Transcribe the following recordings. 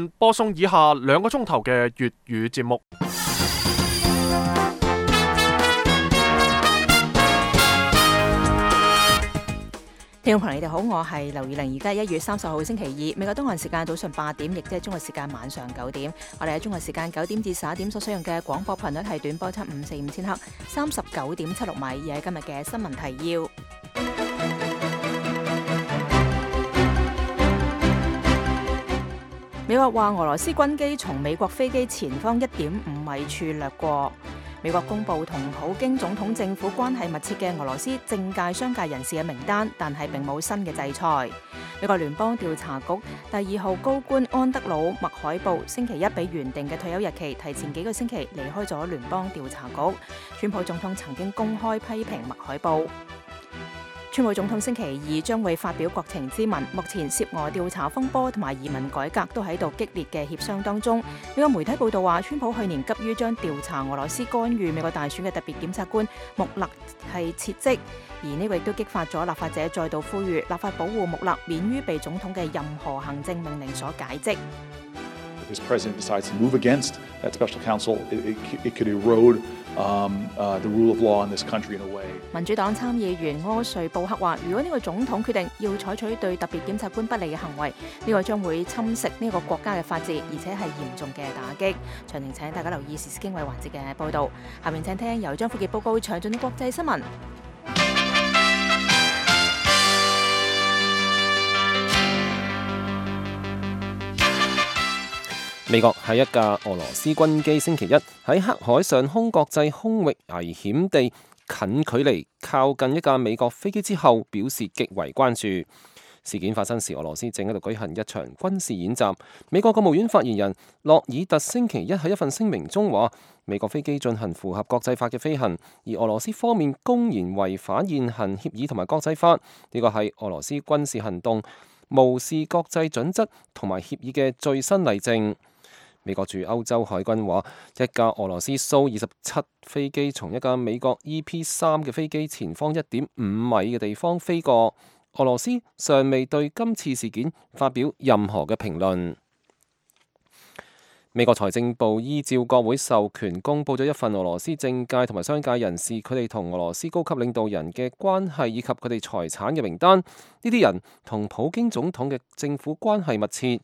播送以下2個鐘頭嘅粵語節目。聽眾朋友，你哋好，我係劉以玲。而家1月30號星期2，美國東岸時間早上8點，亦即係中國時間晚上9點。我哋喺中國時間9點至11點所使用嘅廣播頻率係短波7545000赫，39.76米。而喺今日嘅新聞提要。美國話俄羅斯軍機從美國飛機前方1.5米處掠過。美國公布同普京總統政府關係密切嘅俄羅斯政界、商界人士嘅名單，但係並冇新嘅制裁。美國聯邦調查局第2號高官安德魯·麥海布星期一比原定嘅退休日期提前幾個星期離開咗聯邦調查局。川普總統曾經公開批評麥海布。川普總統星期2將會發表國情咨文，目前涉俄調查風波同埋移民改革都喺度激烈嘅協商當中。美國媒體報道話，川普去年急於將調查俄羅斯干預美國大選嘅特別檢察官穆勒係撤職，而呢個亦都激發咗立法者再度呼籲立法保護穆勒免於被總統嘅任何行政命令所解職。This president decides to move against that special counsel, it could erode the rule of law in this country in a way. 民主黨參議員柯瑞布克話，如果呢個總統決定要採取對特別檢察官不利嘅行為，呢個將會侵蝕呢個國家嘅法治，而且係嚴重嘅打擊。詳情請大家留意時事經緯環節嘅報導。下面請聽由張富傑報告詳盡國際新聞。美國喺一架俄羅斯軍機星期一喺黑海上空國際空域危險地近距離靠近一架美國飛機之後，表示極為關注。事件發生時，俄羅斯正喺度舉行一場軍事演習。美國國務院發言人洛爾特星期一喺一份聲明中話，美國飛機進行符合國際法嘅飛行，而俄羅斯方面公然違反現行協議同埋國際法，呢個係俄羅斯軍事行動無視國際準則同埋協議嘅最新例證。美國駐歐洲海軍話，一架俄羅斯蘇27飛機從一架美國 EP3嘅飛機前方1.5米嘅地方飛過。俄羅斯尚未對今次事件發表任何嘅評論。美國財政部依照國會授權公佈咗一份俄羅斯政界同埋商界人士佢哋同俄羅斯高級領導人嘅關係以及佢哋財產嘅名單。呢啲人同普京總統嘅政府關係密切。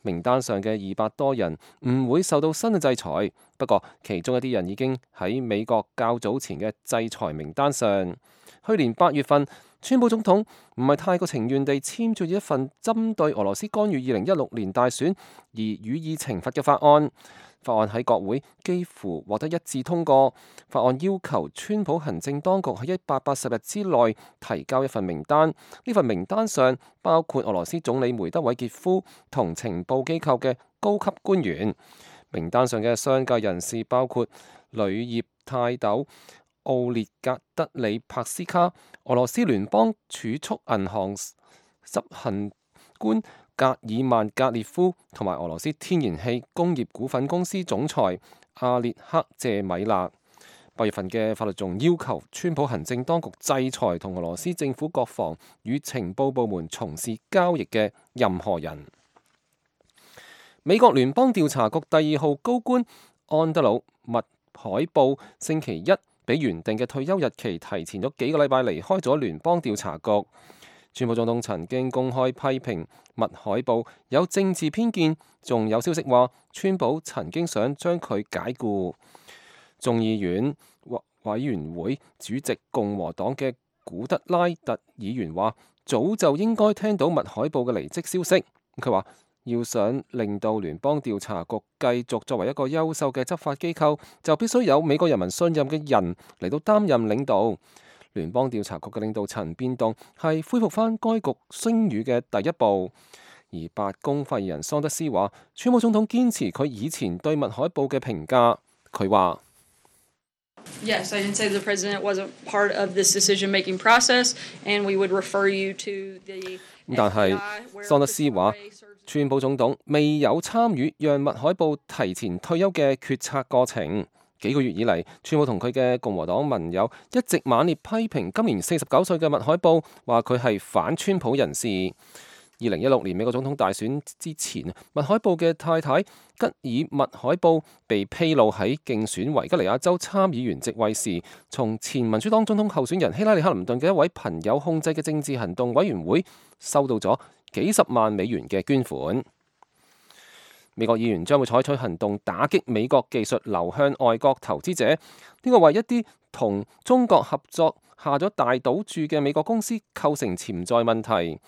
名單上嘅200多人唔會受到新嘅制裁，不過其中一啲人已經喺美國較早前嘅制裁名單上。去年8月份，川普總統唔係太過情願地簽署一份針對俄羅斯干預2016年大選而予以懲罰嘅法案。法案喺國會幾乎獲得一致通過。法案要求川普行政當局喺180日之內提交一份名單。呢份名單上包括俄羅斯總理梅德韋傑夫同情報機構嘅高級官員。名單上嘅商界人士包括鋁業泰斗奧列格德里帕斯卡、俄羅斯聯邦儲蓄銀行執行官格爾曼格列夫同埋俄羅斯天然氣工業股份公司總裁阿列克謝米納。8月份嘅法律仲要求川普行政當局制裁同俄羅斯政府國防與情報部門從事交易嘅任何人。美國聯邦調查局第2號高官安德魯·麥海布星期一比原定嘅退休日期提前咗幾個禮拜離開咗聯邦調查局。川普總統曾經公開批評麥海布有政治偏見，仲有消息話川普曾經想將佢解僱。眾議院委員會主席共和黨嘅古德拉特議員話，早就應該聽到麥海布嘅離職消息。佢話，要想令到聯邦調查局繼續作為一個優秀嘅執法機構，就必須有美國人民信任嘅人嚟到擔任領導。聯邦調查局嘅領導層變動係恢復返該局聲譽嘅第一步。而白宮發言人桑德斯話，川普總統堅持佢以前對麥海布嘅評價。佢話：Yes, I didn't say the president wasn't part of this decision-making process, and we would refer you to the。但係桑德斯話，川普總統未有參與讓麥海布提前退休嘅決策過程。幾個月以嚟，川普同佢嘅共和黨盟友一直猛烈批評今年49歲嘅麥海布，話佢係反川普人士。2016年美國總統大選之前，麥海布嘅太太吉爾麥海布被披露喺競選維吉尼亞州參議員席位時，從前民主黨總統候選人希拉里克林頓嘅一位朋友控制嘅政治行動委員會收到咗幾十萬美元嘅捐款。美國議員將會採取行動打擊美國技術流向外國投資者，呢個為一啲同中國合作下咗大賭注嘅美國公司構成潛在問題。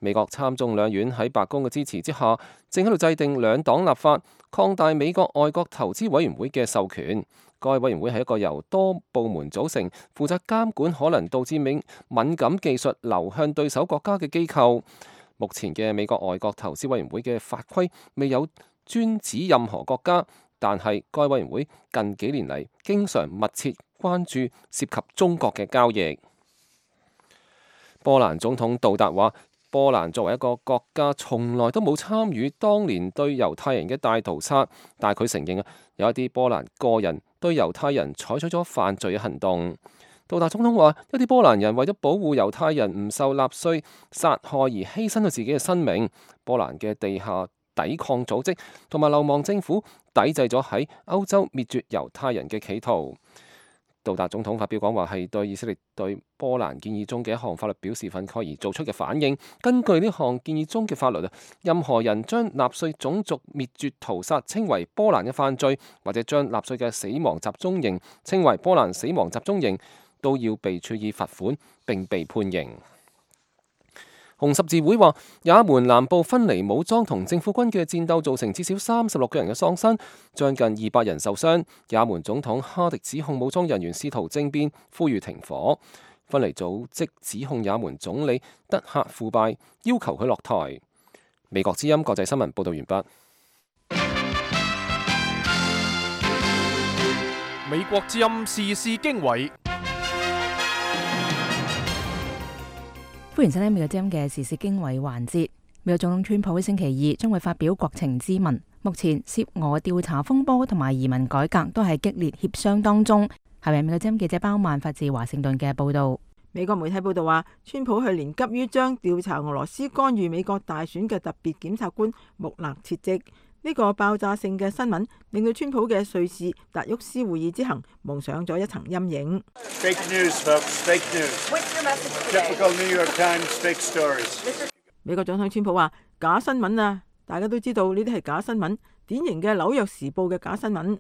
美國參眾兩院喺白宮嘅支持之下，正喺度制定兩黨立法，擴大美國外國投資委員會嘅授權。該委員會係一個由多部門組成，負責監管可能導致敏感技術流向對手國家嘅機構。目前嘅美國外國投資委員會嘅法規未有專指任何國家，但係該委員會近幾年嚟經常密切關注涉及中國嘅交易。波蘭總統杜達話：波蘭作為一個國家，從來都冇參與當年對猶太人嘅大屠殺，但係佢承認有一啲波蘭個人對猶太人採取咗犯罪嘅行動。杜達總統話：一啲波蘭人為咗保護猶太人唔受納粹殺害而犧牲咗自己嘅生命。波蘭嘅地下抵抗組織同埋流亡政府抵制咗喺歐洲滅絕猶太人嘅企圖。杜達總統發表講話係對以色列對波蘭建議中嘅一項法律表示憤慨而做出嘅反應。根據呢項建議中嘅法律，任何人將納粹種族滅絕屠殺稱為波蘭嘅犯罪，或者將納粹嘅死亡集中營稱為波蘭死亡集中營，都要被處以罰款並被判刑。紅十字會話，也門南部分離武裝同政府軍嘅戰鬥造成至少36個人嘅喪生，將近200人受傷。也門總統哈迪指控武裝人員試圖政變，呼籲停火。分離組織指控也門總理德克腐敗，要求佢落台。美國之音國際新聞報道完畢。美國之音時事經緯。歡迎收聽美國之音嘅時事經緯環節。美國總統川普喺星期二將會發表國情咨文。目前涉俄調查風波同埋移民改革都係激烈協商當中。下面美國之音記者包曼發自華盛頓嘅報道。美國媒體報道話，川普去年急於將調查俄羅斯干預美國大選嘅特別檢察官穆勒撤職。呢個爆炸性嘅新聞令到川普嘅瑞士達沃斯會議之行蒙上咗一層陰影。Fake news, folks. Fake news. What's your message today? Typical New York Times fake stories. 美國總統川普話：假新聞啊！大家都知道呢啲係假新聞，典型嘅紐約時報嘅假新聞。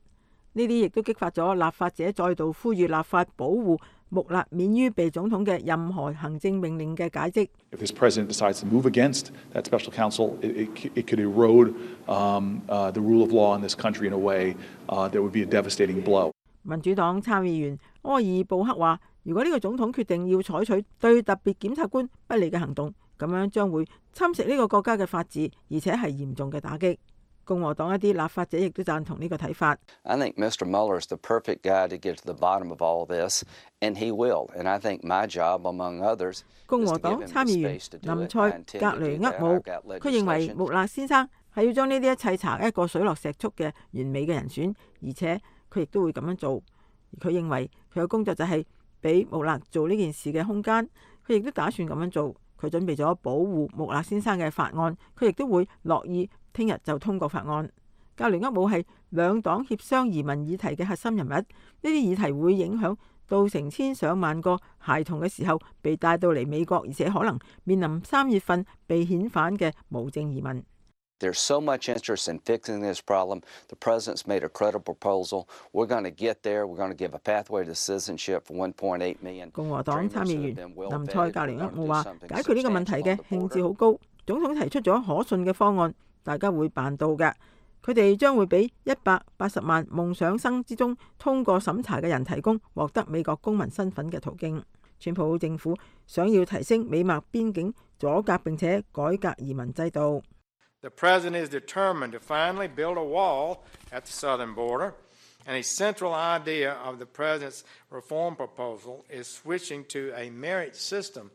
呢啲亦都激發咗立法者再度呼籲立法保護穆勒免於被總統嘅任何行政命令嘅解職。If this president decides to move against that special counsel, it could erode the rule of law in this country in a way that would be a devastating blow. 民主黨參議員柯爾布克話：如果呢個總統決定要採取對特別檢察官不利嘅行動，咁樣將會侵蝕呢個國家嘅法治，而且係嚴重嘅打擊。共和黨一啲立法者亦都贊同呢個睇法。I think Mr. Mueller is the perfect guy to get to the bottom of all this, and he will. And I think my job, among others, 共和黨參議員林塞格雷厄姆，佢認為穆勒先生係要將呢啲一切查一個水落石出嘅完美嘅人選，而且佢亦都會咁樣做。佢認為佢嘅工作就係俾穆勒做呢件事嘅空間，佢亦都打算咁樣做。佢準備咗保護穆勒先生嘅法案，佢亦都會樂意聽日就通過法案。格雷厄姆係兩黨協商移民議題嘅核心人物，呢啲議題會影響到成千上萬個孩童嘅時候被帶到嚟美國，而且可能面臨3月份被遣返嘅無證移民。There's so much interest in fixing this problem. The president's made a credible proposal. We're going to get there. We're going to give a pathway to citizenship for 1.8 million. 共和黨參議員林塞格雷厄姆話：解決呢個問題嘅興致好高，總統提出咗可信嘅方案，大家會辦到嘅。佢哋將會俾180萬夢想生之中通過審查嘅人提供獲得美國公民身份嘅途徑。川普政府想要提升美墨邊境阻隔並且改革移民制度。The president is determined to finally build a wall at the southern border, and a central idea of the president's reform proposal is switching to a merit system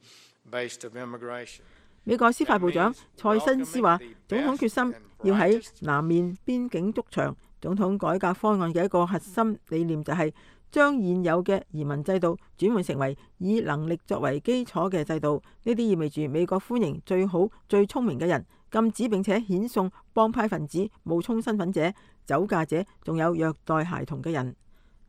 based of immigration. 美國司法部長蔡新斯話，總統決心要喺南面邊境築牆。總統改革方案嘅一個核心理念就係將現有嘅移民制度轉換成為以能力作為基礎嘅制度。呢啲意味住美國歡迎最好、最聰明嘅人，禁止並且遣送幫派分子、冒充身份者、酒駕者，仲有虐待孩童嘅人。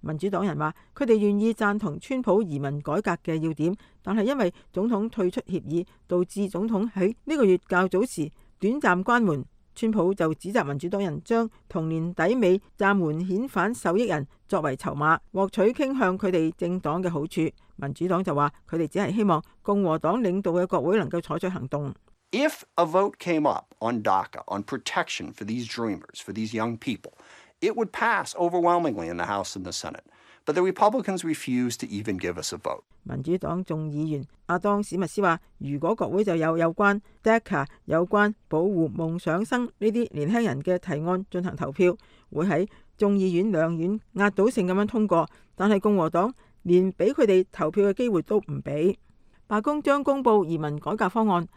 民主黨人話佢哋願意贊同川普移民改革嘅要點，但係因為總統退出協議，導致總統喺呢個月較早時短暫關門。川普就指責民主黨人將同年底尾暫緩遣返受益人作為籌碼，獲取傾向佢哋政黨嘅好處。民主黨就話佢哋只係希望共和黨領導嘅國會能夠採取行動。If a vote came up on DACA, on protection for these dreamers, for these young people, it would pass overwhelmingly in the House and the Senate. But the Republicans refused to even give us a vote. 民主黨眾議員阿當史密斯話，如果國會就有關 DACA 有關保護夢想生呢啲年輕人嘅提案進行投票，會喺眾議院兩院壓倒性咁樣通過，但係共和黨連俾佢哋投票嘅機會都唔俾。白宮將公布移民改革方案，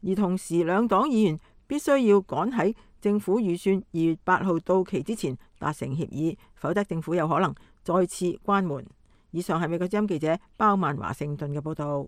而同時兩黨議員必須要趕喺政府預算2月8號到期之前達成協議，否則政府有可能再次關門。以上係美國之音記者包曼華盛頓嘅報道。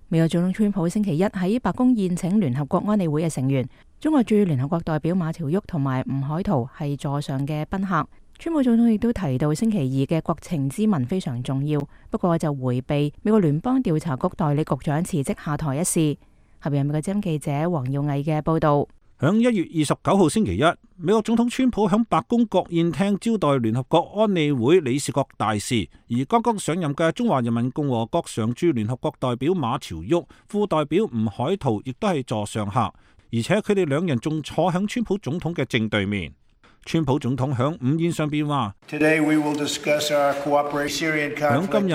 美國總統川普星期一喺白宮宴請聯合國安理會嘅成員，中國駐聯合國代表馬朝旭同埋吳海濤係座上嘅賓客。川普總統亦都提到星期二嘅國情咨文非常重要，不過就迴避美國聯邦調查局代理局長辭職下台一事。下邊係美國之音記者黃耀毅嘅報道。響1月29號星期一，美國總統川普響白宮國宴廳招待聯合國安理會理事國大使，而剛剛上任嘅中華人民共和國常駐聯合國代表馬朝旭、副代表吳海濤亦都係座上客，而且佢哋兩人仲坐響川普總統嘅正對面。川普總統響午宴上邊話：響今日，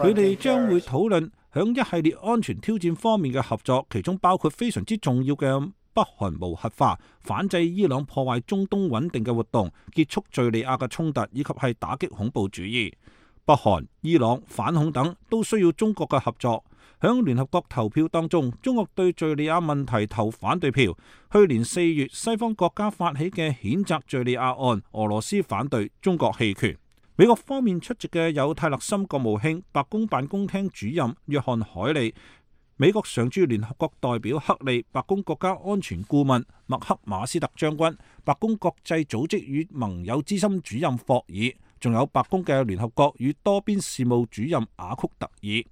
佢哋將會討論響一系列安全挑戰方面嘅合作，其中包括非常之重要嘅北韓無核化、反制伊朗破壞中東穩定嘅活動、結束敘利亞嘅衝突，以及係打擊恐怖主義。北韓、伊朗、反恐等都需要中國嘅合作。響聯合國投票當中，中國對敘利亞問題投反對票。去年4月，西方國家發起嘅譴責敘利亞案，俄羅斯反對，中國棄權。美國方面出席嘅有泰勒森國務卿、白宮辦公廳主任約翰海利、美國常駐聯合國代表克利、白宮國家安全顧問麥克馬斯特將軍、白宮國際組織與盟友資深主任霍爾，仲有白宮嘅聯合國與多邊事務主任雅曲特爾。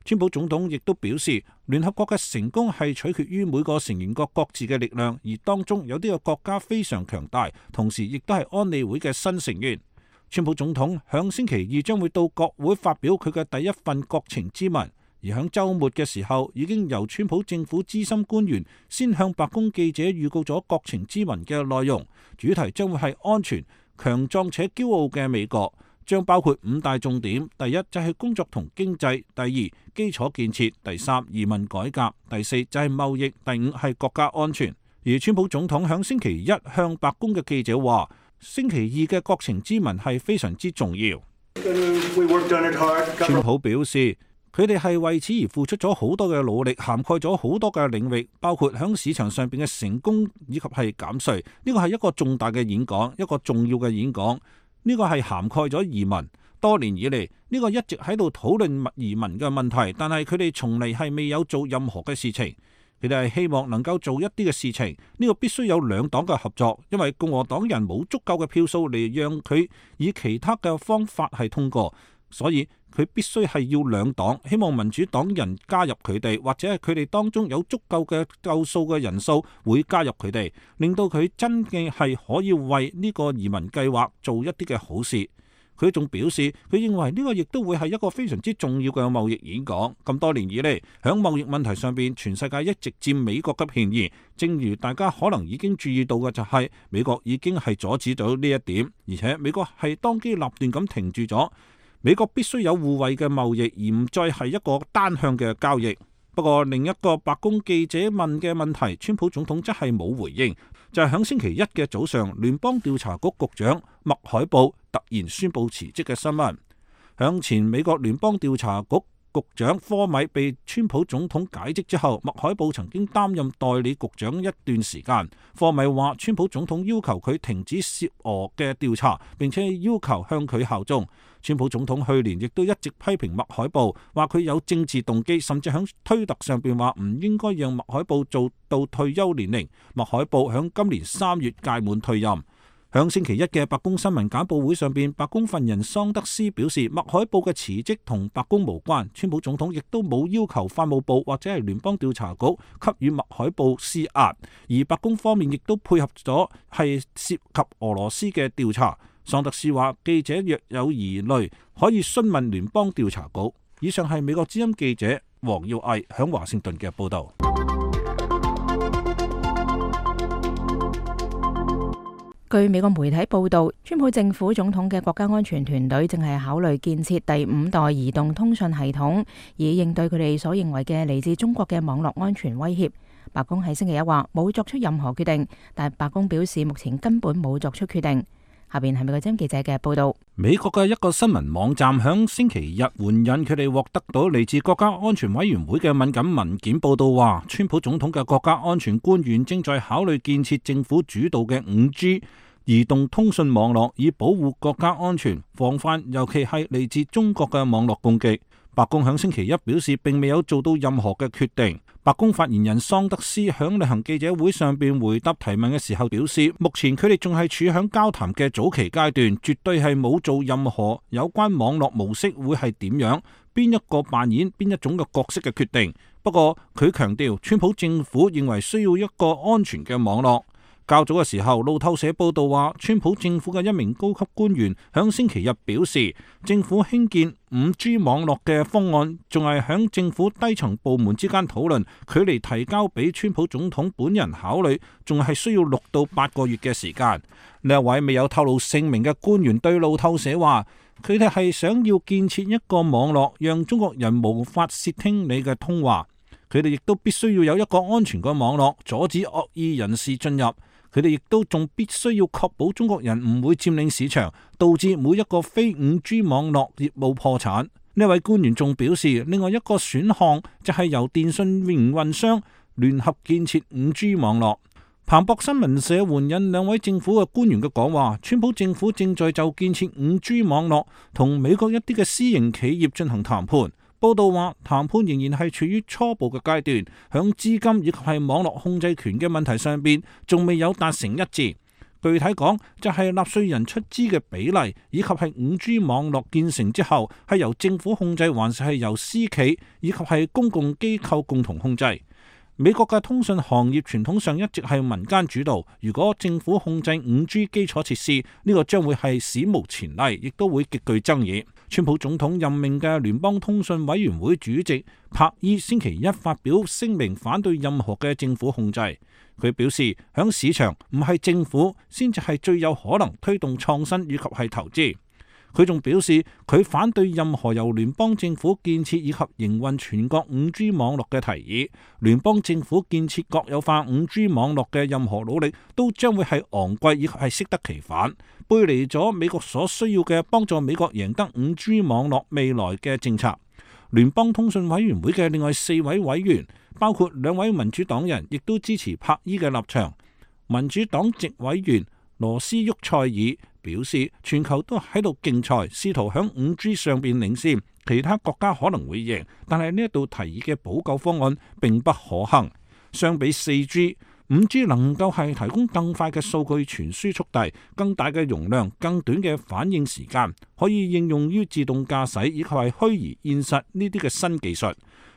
川普總統亦都表示，聯合國嘅成功係取決於每個成員國各自嘅力量，而當中有啲個國家非常強大，同時亦都係安理會嘅新成員。川普總統響星期二將會到國會發表佢嘅第一份國情咨文，而響週末嘅時候已經由川普政府資深官員先向白宮記者預告咗國情咨文嘅內容，主題將會係安全、強壯且驕傲嘅美國。將包括5大重點：第一就係工作同經濟；第二基礎建設；第三移民改革；第四就係貿易；第五係國家安全。而川普總統響星期一向白宮嘅記者話，星期二嘅國情咨文係非常之重要。川普表示，佢哋係為此而付出咗好多嘅努力，涵蓋咗好多嘅領域，包括響市場上邊嘅成功以及係減稅。呢個係一個重大嘅演講，一個重要嘅演講。呢個係涵蓋咗移民。多年以嚟，呢個一直喺度討論移民嘅問題，但係佢哋從嚟係未有做任何嘅事情。佢哋係希望能夠做一啲嘅事情，呢個必須有兩黨嘅合作，因為共和黨人冇足夠嘅票數嚟讓佢以其他嘅方法係通過，所以佢必須係要兩黨，希望民主黨人加入佢哋，或者係佢哋當中有足夠嘅夠數嘅人數會加入佢哋，令到佢真嘅係可以為呢個移民計劃做一啲嘅好事。佢仲表示，佢認為呢個亦都會係一個非常之重要嘅貿易演講。咁多年以嚟，響貿易問題上邊，全世界一直佔美國嘅便宜。正如大家可能已經注意到嘅，就係美國已經係阻止到呢一點，而且美國係當機立斷咁停住咗。美國必須有互惠嘅貿易，而唔再係一個單向嘅交易。不過另一個白宮記者問嘅問題，川普總統則係冇回應，就係響星期一嘅早上，聯邦調查局局長麥海布突然宣布辭職嘅新聞。響前美國聯邦調查局局長科米被川普總統解職之後，麥海布曾經擔任代理局長一段時間。科米話川普總統要求佢停止涉俄嘅調查，並且要求向佢效忠。川普總統去年亦都一直批評麥海布，話佢有政治動機，甚至喺推特上邊話唔應該讓麥海布做到退休年齡。麥海布喺今年3月屆滿退任。響星期一嘅白宮新聞簡報會上邊，白宮發言人桑德斯表示，麥海布嘅辭職同白宮無關，川普總統亦都冇要求法務部或者係聯邦調查局給予麥海布施壓，而白宮方面亦都配合咗係涉及俄羅斯嘅調查。桑德斯話，記者若有疑慮可以詢問聯邦調查局。以上係美國之音記者黃耀毅響華盛頓嘅報道。據美國媒體報道，川普政府總統嘅國家安全團隊正係考慮建設第5代移動通訊系統，以應對佢哋所認為嘅嚟自中國嘅網絡安全威脅。白宮喺星期一話冇作出任何決定，但白宮表示目前根本冇作出決定。下邊係美國之音記者嘅報道。美國嘅一個新聞網站響星期日援引佢哋獲得到嚟自國家安全委員會嘅敏感文件報道話，川普總統嘅國家安全官員正在考慮建設政府主導嘅5G 移動通訊網絡，以保護國家安全，防範尤其係嚟自中國嘅網絡攻擊。白宮響星期一表示並未有做到任何嘅決定。白宮發言人桑德斯響例行記者會上邊回答提問嘅時候表示，目前佢哋仲係處響交談嘅早期階段，絕對係冇做任何有關網絡模式會係點樣，邊一個扮演邊一種嘅角色嘅決定。不過佢強調，川普政府認為需要一個安全嘅網絡。較早嘅時候，路透社報道話，川普政府嘅一名高級官員響星期日表示，政府興建5G 網絡嘅方案仲係響政府低層部門之間討論，距離提交俾川普總統本人考慮，仲係需要6到8個月嘅時間。呢一位未有透露姓名嘅官員對路透社話，佢哋係想要建設一個網絡，讓中國人無法竊聽你嘅通話。佢哋亦都必須要有一個安全嘅網絡，阻止惡意人士進入。佢哋亦都仲必須要確保中國人唔會佔領市場，導致每一個非5G 網絡業務破產。呢位官員仲表示，另外一個選項就係由電信營運商聯合建設5G 網絡。彭博新聞社援引2位政府嘅官員嘅講話，川普政府正在就建設5G 網絡同美國一啲嘅私營企業進行談判。報道話，談判仍然係處於初步嘅階段，響資金以及係網絡控制權嘅問題上邊，仲未有達成一致。具體講，就係納稅人出資嘅比例，以及係5G 網絡建成之後係由政府控制，還是係由私企以及係公共機構共同控制。美國嘅通訊行業傳統上一直係民間主導，如果政府控制5G 基礎設施，呢個將會係史無前例，亦都會極具爭議。川普總統任命嘅聯邦通訊委員會主席柏伊星期一發表聲明，反對任何嘅政府控制。佢表示，響市場唔係政府先至係最有可能推動創新以及係投資。佢仲表示，佢反對任何由聯邦政府建設以及營運全國5G 網絡嘅提議。聯邦政府建設國有化5G 網絡嘅任何努力都將會係昂貴以及係適得其反，背離咗美國所需要嘅幫助美國贏得5G 網絡未來嘅政策。聯邦通訊委員會嘅另外4位委員，包括2位民主黨人，亦都支持柏伊嘅立場。民主黨籍委員羅斯沃塞爾表示，全球都喺度競賽，試圖響5G 上邊領先，其他國家可能會贏，但係呢一度提議嘅補救方案並不可行。相比 4G、5G 能夠係提供更快嘅數據傳輸速遞、更大嘅容量、更短嘅反應時間，可以應用於自動駕駛以及係虛擬現實呢啲嘅新技術。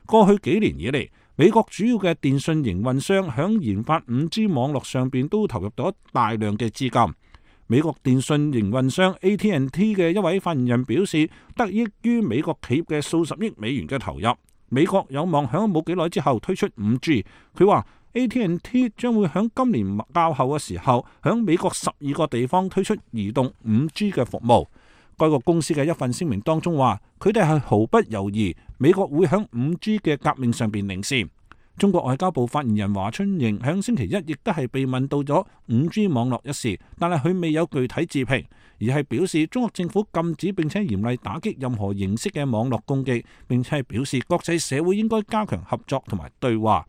過去幾年以嚟，美國主要嘅電信營運商響研發 5G 網絡上邊都投入咗大量嘅資金。美國電信營運商 AT&T 嘅一位發言人表示，得益於美國企業嘅數十億美元嘅投入，美國有望響冇幾耐之後推出 5G。佢話 AT&T 將會響今年較後嘅時候，響美國12個地方推出移動 5G 嘅服務。該個公司嘅一份聲明當中話，佢哋係毫不猶豫，美國會響 5G 嘅革命上邊領先。中國外交部發言人華春瑩響星期一亦都係被問到咗 5G 網絡一事，但係佢未有具體置評。而係表示中國政府禁止並且嚴厲打擊任何形式嘅網絡攻擊，並且係表示國際社會應該加強合作同埋對話。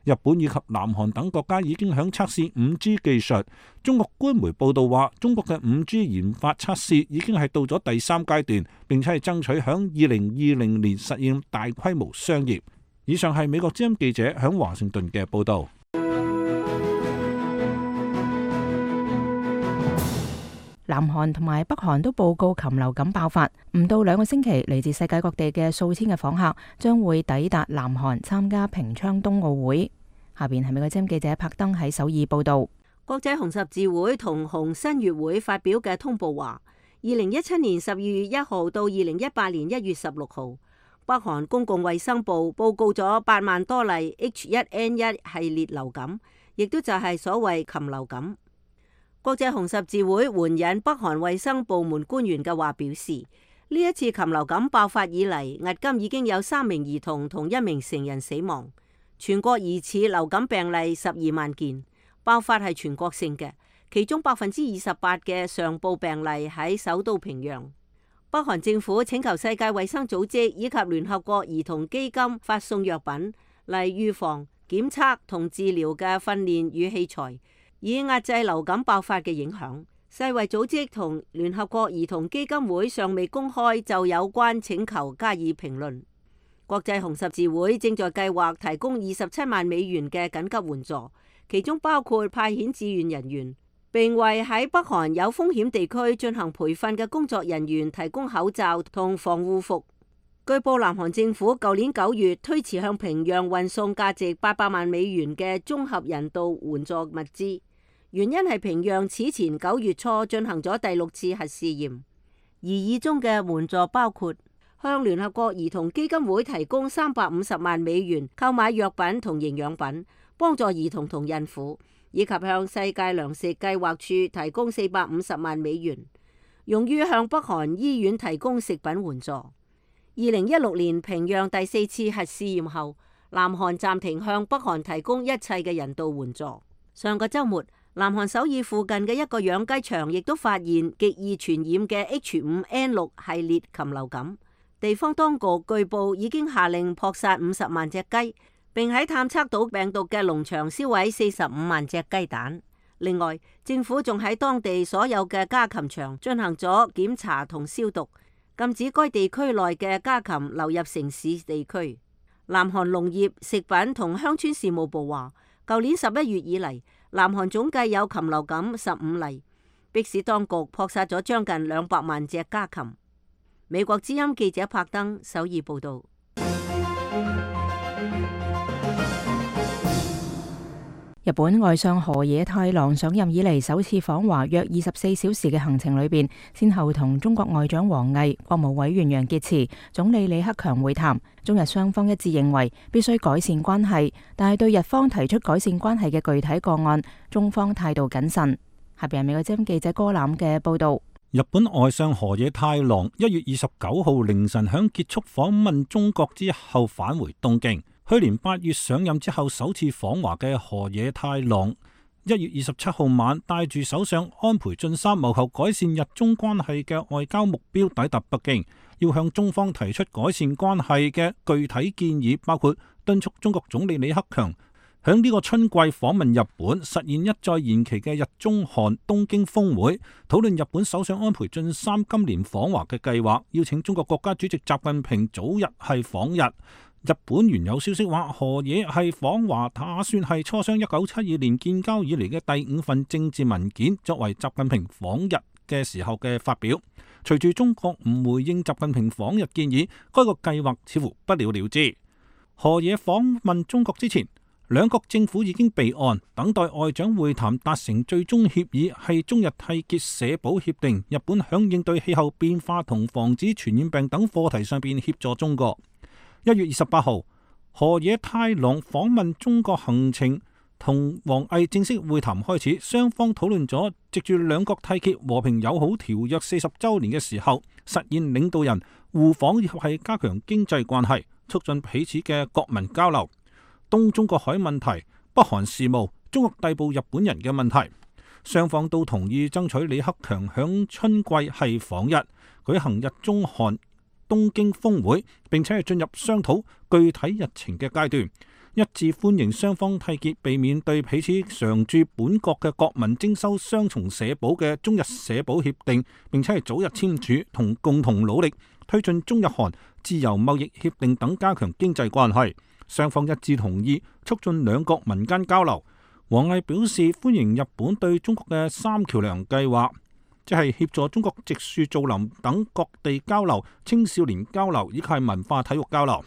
日本以及南韓等國家已經響測試 5G 技術。中國官媒報道話，中國嘅 5G 研發測試已經係到咗第3階段，並且係爭取響2020年實現大規模商業。以上係美國之音記者響華盛頓嘅報道。南韓同埋北韓都報告禽流感爆發，唔到2個星期，嚟自世界各地嘅數千嘅訪客將會抵達南韓參加平昌冬奧會。下邊係美國之音記者柏登喺首爾報道。國際紅十字會同紅新月會發表嘅通報話，2017年12月1號到2018年1月16號，北韓公共衛生部報告咗8萬多例 H1N1 系列流感，亦都就係所謂禽流感。國際紅十字會援引北韓衛生部門官員嘅話表示，呢一次禽流感爆發以嚟，迄今已經有3名兒童同1名成人死亡。全國疑似流感病例12萬件，爆發係全國性嘅，其中28%嘅上報病例喺首都平壤。北韓政府請求世界衛生組織以及聯合國兒童基金發送藥品嚟預防、檢測同治療嘅訓練與器材，以壓制流感爆發嘅影響。世衛組織同聯合國兒童基金會尚未公開就有關請求加以評論。國際紅十字會正在計劃提供27萬美元嘅緊急援助，其中包括派遣志願人員，並為喺北韓有風險地區進行培訓嘅工作人員提供口罩同防護服。據報，南韓政府舊年9月推遲向平壤運送價值800萬美元嘅綜合人道援助物資，原因係平壤此前9月初進行咗第6次核試驗，而以中嘅援助包括向聯合國兒童基金會提供350萬美元購買藥品同營養品，幫助兒童同孕婦，以及向世界糧食計劃處提供450萬美元，用於向北韓醫院提供食品援助。2016年平壤第4次核試驗後，南韓暫停向北韓提供一切嘅人道援助。上個週末，南韓首爾附近嘅一個養雞場亦都發現極易傳染嘅 H5N6 系列禽流感。地方當局據報已經下令撲殺50萬隻雞，並喺探測到病毒嘅農場燒毀45萬隻雞蛋。另外，政府仲喺當地所有嘅家禽場進行咗檢查同消毒，禁止該地區內嘅家禽流入城市地區。南韓農業、食品同鄉村事務部話，舊年11月以嚟，南韓總計有禽流感15例，迫使當局撲殺咗將近200萬隻家禽。美國之音記者柏登首爾報道。日本外相河野太郎上任以嚟首次訪華約24小時嘅行程裏邊，先後同中國外長王毅、國務委員楊潔篪、總理李克強會談。中日雙方一致認為必須改善關係，但係對日方提出改善關係嘅具體個案，中方態度謹慎。下邊係美國之音記者哥欖嘅報道。日本外相河野太郎1月29號凌晨響結束訪問中國之後返回東京。去年8月上任之後首次訪華嘅河野太郎1月27號晚帶住首相安倍晉三謀求改善日中關係嘅外交目標抵達北京，要向中方提出改善關係嘅具體建議，包括敦促中國總理李克強響呢個春季訪問日本，實現一再延期嘅日中韓東京峰會，討論日本首相安倍晉三今年訪華嘅計劃，邀請中國國家主席習近平早日係訪日。日本原有消息話，河野係訪華打算係磋商1972年建交以嚟嘅第5份政治文件，作為習近平訪日嘅時候嘅發表。隨住中國唔回應習近平訪日建議，該個計劃似乎不了了之。河野訪問中國之前，兩國政府已經備案，等待外長會談達成最終協議，係中日締結社保協定。日本響應對氣候變化同防止傳染病等課題上邊協助中國。1月28號，河野太郎訪問中國行程同王毅正式會談開始，雙方討論咗藉住兩國締結和平友好條約40週年嘅時候，實現領導人互訪以及係加強經濟關係，促進彼此嘅國民交流。東中國海問題、北韓事務、中國逮捕日本人嘅問題。雙方都同意爭取李克強響春季係訪日，舉行日中韓東京峰會，並且係進入商討具體日程嘅階段，一致歡迎雙方締結避免對彼此常駐本國嘅國民徵收雙重社保嘅中日社保協定，並且係早日簽署，同共同努力推進中日韓自由貿易協定等，加強經濟關係。雙方一致同意促進兩國民間交流。王毅表示歡迎日本對中國嘅三橋梁計劃，即係協助中國植樹造林等各地交流、青少年交流以及文化體育交流。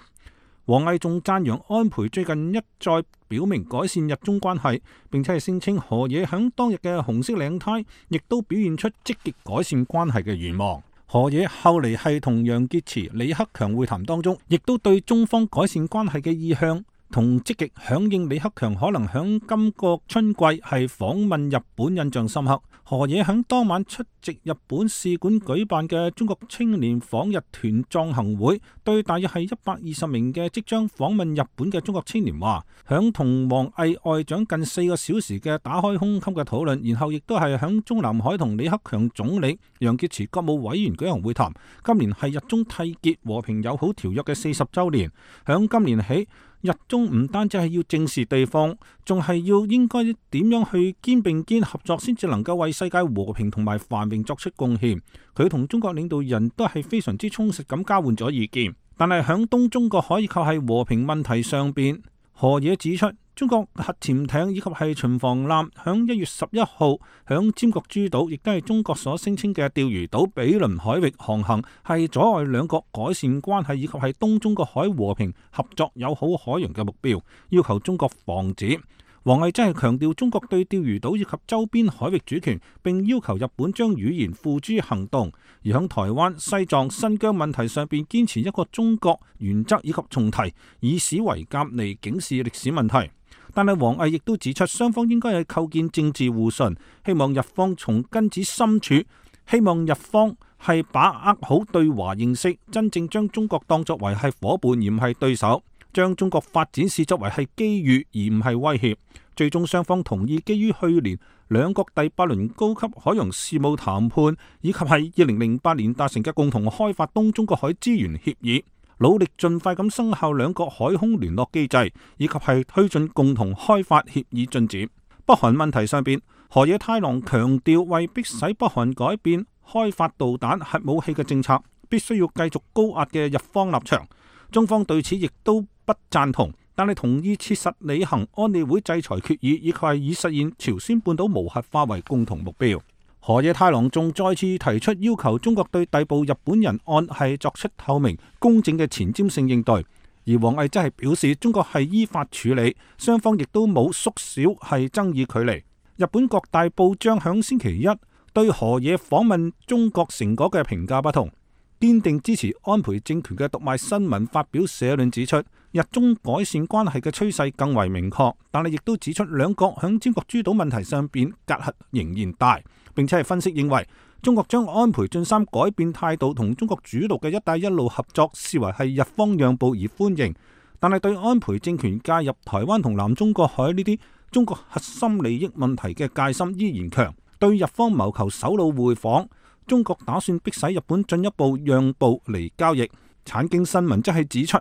王毅仲讚揚安倍最近一再表明改善日中關係，並且係聲稱河野響當日嘅紅色領呔亦都表現出積極改善關係嘅願望。河野後嚟係同楊潔篪、李克強會談當中，亦都對中方改善關係嘅意向同積極響應李克強可能響今個春季係訪問日本印象深刻。河野響當晚出席日本使館舉辦嘅中國青年訪日團壯行會，對大約係120名嘅即將訪問日本嘅中國青年話，響同王毅外長近4個小時嘅打開胸襟嘅討論，然後亦都係響中南海同李克強總理、楊潔篪國務委員舉行會談。今年係日中締結和平友好條約嘅40週年，響今年起，日中唔單止係要正視對方，仲係要應該點樣去肩並肩合作，先至能夠為世界和平同埋繁榮作出貢獻。佢同中國領導人都係非常之充實咁交換咗意見，但係響東中國海以及係和平問題上邊，河野指出，中國核潛艇以及係巡防艦響1月11號響尖閣諸島，亦都係中國所聲稱嘅釣魚島比鄰海域航行，係阻礙兩國改善關係以及係東中國海和平合作友好海洋嘅目標，要求中國防止。王毅真係強調中國對釣魚島以及周邊海域主權，並要求日本將語言付諸行動，而響台灣、西藏、新疆問題上邊堅持一個中國原則以及重提以史為鑑嚟警示歷史問題。但係王毅亦都指出，雙方應該係構建政治互信，希望日方從根子深處，希望日方係把握好對華認識，真正將中國當作為係夥伴而唔係對手，將中國發展視作為係機遇而唔係威脅。最終雙方同意基於去年兩國第8輪高級海洋事務談判，以及係2008年達成嘅共同開發東中國海資源協議，努力盡快咁生效兩國海空聯絡機制，以及係推進共同開發協議進展。北韓問題上邊，河野太郎強調，為迫使北韓改變開發導彈核武器嘅政策，必須要繼續高壓嘅日方立場。中方對此亦都不贊同，但係同意切實履行安理會制裁決議，以及係以實現朝鮮半島無核化為共同目標。河野太郎仲再次提出要求中國對逮捕日本人案係作出透明公正嘅前瞻性應對，而王毅則係表示中國係依法處理，雙方亦都冇縮小係爭議距離。日本各大報章響星期一對河野訪問中國成果嘅評價不同，堅定支持安倍政權嘅讀賣新聞發表社論指出，日中改善關係嘅趨勢更為明確，但係亦都指出兩國響尖閣諸島問題上邊隔閡仍然大，並且係分析認為中國將安倍晉三改變態度同中國主導嘅一帶一路合作視為係日方讓步而歡迎，但係對安倍政權介入台灣同南中國海呢啲中國核心利益問題嘅戒心依然強，對日方謀求首腦會訪，中國打算迫使日本進一步讓步嚟交易。產經新聞則係指出，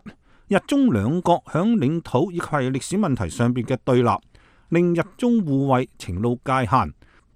日中兩國響領土以及係歷史問題上邊嘅對立，令日中互惠呈露界限，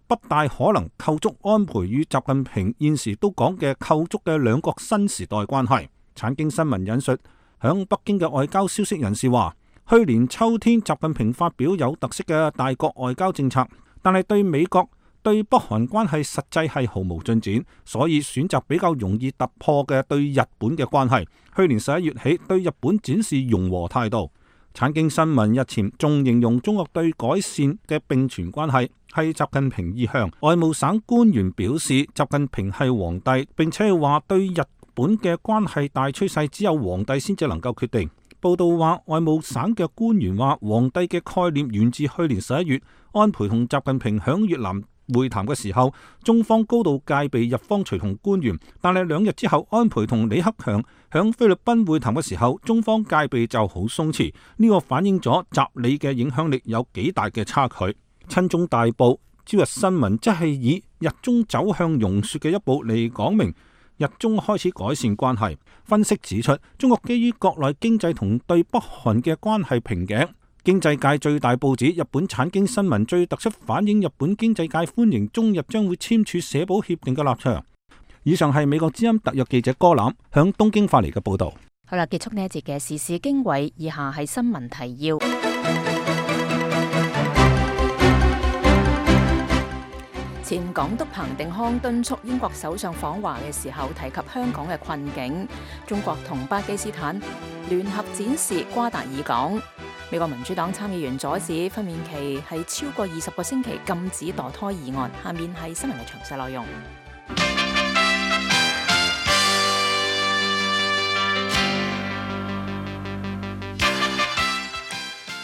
不大可能構築安倍與習近平現時都講嘅構築嘅兩國新時代關係。產經新聞引述響北京嘅外交消息人士話，去年秋天習近平發表有特色嘅大國外交政策，但係對美國對北韓關係實際係毫無進展，所以選擇比較容易突破嘅對日本嘅關係。去年11月起對日本展示融和態度。產經新聞日前仲形容中國對改善嘅並存關係係習近平意向。外務省官員表示，習近平係皇帝，並且係話對日本嘅關係大趨勢只有皇帝先至能夠決定。報道話，外務省嘅官員話，皇帝嘅概念源自去年11月安倍同習近平響越南會談嘅時候，中方高度戒備日方隨同官員，但係2日之後，安倍同李克強響菲律賓會談嘅時候，中方戒備就好鬆弛，呢個反映咗習李嘅影響力有幾大嘅差距。親中大報朝日新聞則係以日中走向融雪嘅一步嚟講明日中開始改善關係。分析指出，中國基於國內經濟同對北韓嘅關係瓶頸，經濟界最大報紙日本產經新聞最突出反映日本經濟界歡迎中日將會簽署社保協定嘅立場。以上係美國之音特約記者柯欖響東京發嚟嘅報導。好啦，結束呢一節嘅時事經緯，以下係新聞提要。前港督彭定康敦促英國首相訪華嘅時候提及香港嘅困境。中國同巴基斯坦聯合展示瓜達爾港。美國民主黨參議員阻止分娩期係超過20個星期禁止墮胎議案。下面係新聞嘅詳細內容。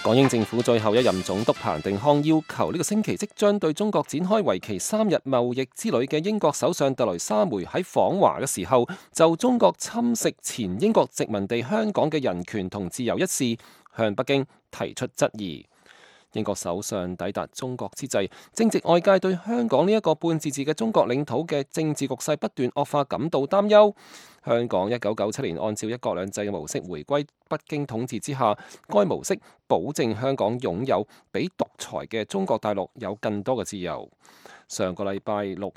港英政府最後一任總督彭定康要求呢個星期即將對中國展開為期3日貿易之旅嘅英國首相特蕾莎梅喺訪華嘅時候，就中國侵蝕前英國殖民地香港嘅人權同自由一事，向北京提出質疑。英國首相抵達中國之際，正值外界對香港呢一個半自治嘅中國領土嘅政治局勢不斷惡化感到擔憂。香港1997年按照一國兩制嘅模式回歸北京統治之下，該模式保證香港擁有比獨裁嘅中國大陸有更多嘅自由。上個禮拜六，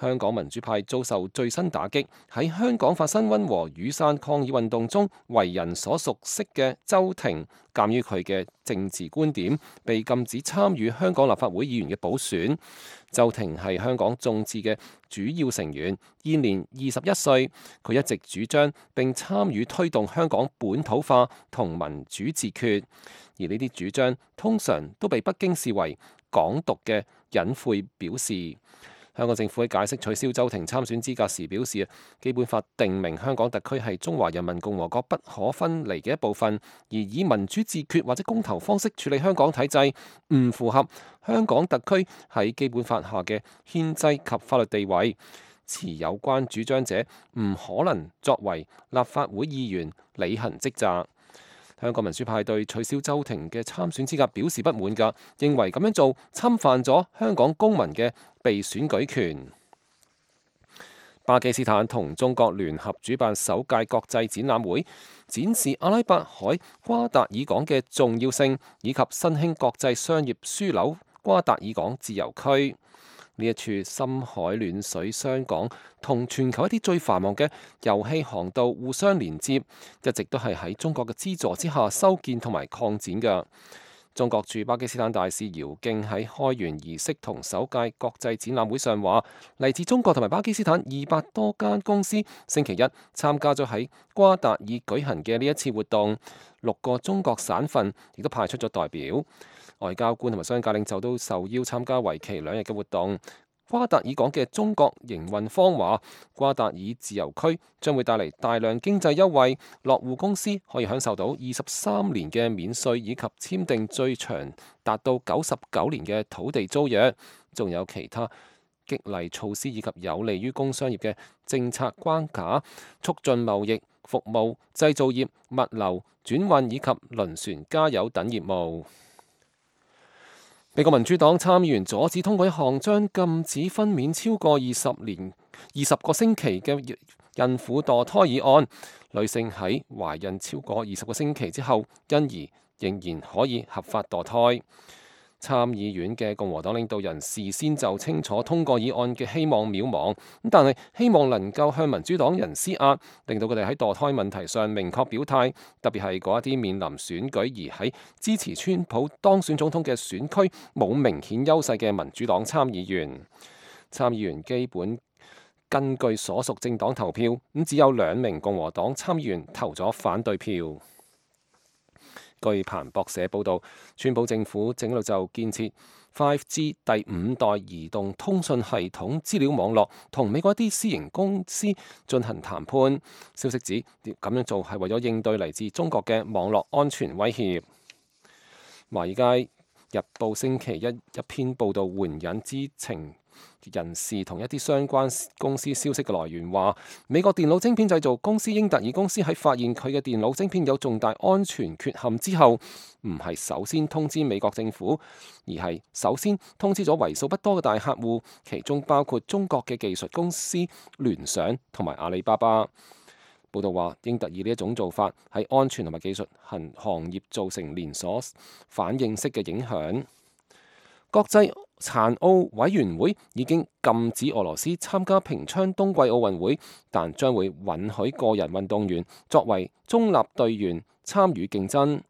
香港民主派遭受最新打擊，喺香港發生溫和雨傘抗議運動中，為人所熟悉嘅周庭，鑑於佢嘅政治觀點，被禁止參與香港立法會議員嘅補選。周庭係香港眾志嘅主要成員，現年21歲。佢一直主張並參與推動香港本土化同民主自決，而呢啲主張通常都被北京視為港獨嘅隱晦表示。香港政府喺解釋取消周庭參選資格時表示，基本法定明香港特區係中華人民共和國不可分離嘅一部分，而以民主自決或者公投方式處理香港體制，唔符合香港特區喺基本法下嘅憲制及法律地位。持有關主張者唔可能作為立法會議員履行職責。香港民主派對取消周庭嘅參選資格表示不滿㗎，認為咁樣做侵犯咗香港公民嘅被選舉權。巴基斯坦同中國聯合主辦首屆國際展覽會，展示阿拉伯海瓜達爾港嘅重要性，以及新興國際商業樞紐瓜達爾港自由區。呢一處深海暖水商港同全球一啲最繁忙嘅油氣航道互相連接，一直都係喺中國嘅資助之下修建同埋擴展嘅。中國駐巴基斯坦大使姚敬喺開園儀式同首屆國際展覽會上話，嚟自中國同埋巴基斯坦200多間公司星期一參加咗喺瓜達爾舉行嘅呢一次活動，6個中國省份亦都派出咗代表。外交官同埋商界領袖都受邀參加為期2日嘅活動。瓜達爾港嘅中國營運方話，瓜達爾自由區將會帶嚟大量經濟優惠，落戶公司可以享受到23年嘅免稅，以及簽訂最長達到99年嘅土地租約，仲有其他激勵措施以及有利於工商業嘅政策關卡，促進貿易、服務、製造業、物流、轉運以及輪船加油等業務。美國民主黨參議員阻止通過一項將禁止分娩超過20個星期嘅孕婦墮胎議案，女性喺懷孕超過20個星期之後，因而仍然可以合法墮胎。參議院嘅共和黨領導人事先就清楚通過議案嘅希望渺茫，但係希望能夠向民主黨人施壓，令到佢哋喺墮胎問題上明確表態，特別係嗰一啲面臨選舉而喺支持川普當選總統嘅選區冇明顯優勢嘅民主黨參議員。參議員基本根據所屬政黨投票，咁只有2名共和黨參議員投咗反對票。據彭博社報導，川普政府正喺度就建設 5G 第5代移動通訊系統資料網絡同美國一啲私營公司進行談判。消息指咁樣做係為咗應對嚟自中國嘅網絡安全威脅。華爾街日報星期一篇報導援引知情人士同一啲相關公司消息嘅來源話，美國電腦晶片製造公司英特爾公司喺發現佢嘅電腦晶片有重大安全缺陷之後，唔係首先通知美國政府，而係首先通知咗為數不多嘅大客戶，其中包括中國嘅技術公司聯想同埋阿里巴巴。報道話，英特爾呢一種做法喺安全同埋技術行業造成連鎖反應式嘅影響。國際殘奧委員會已經禁止俄羅斯參加平昌冬季奧運會，但將會允許個人運動員作為中立隊員參與競爭。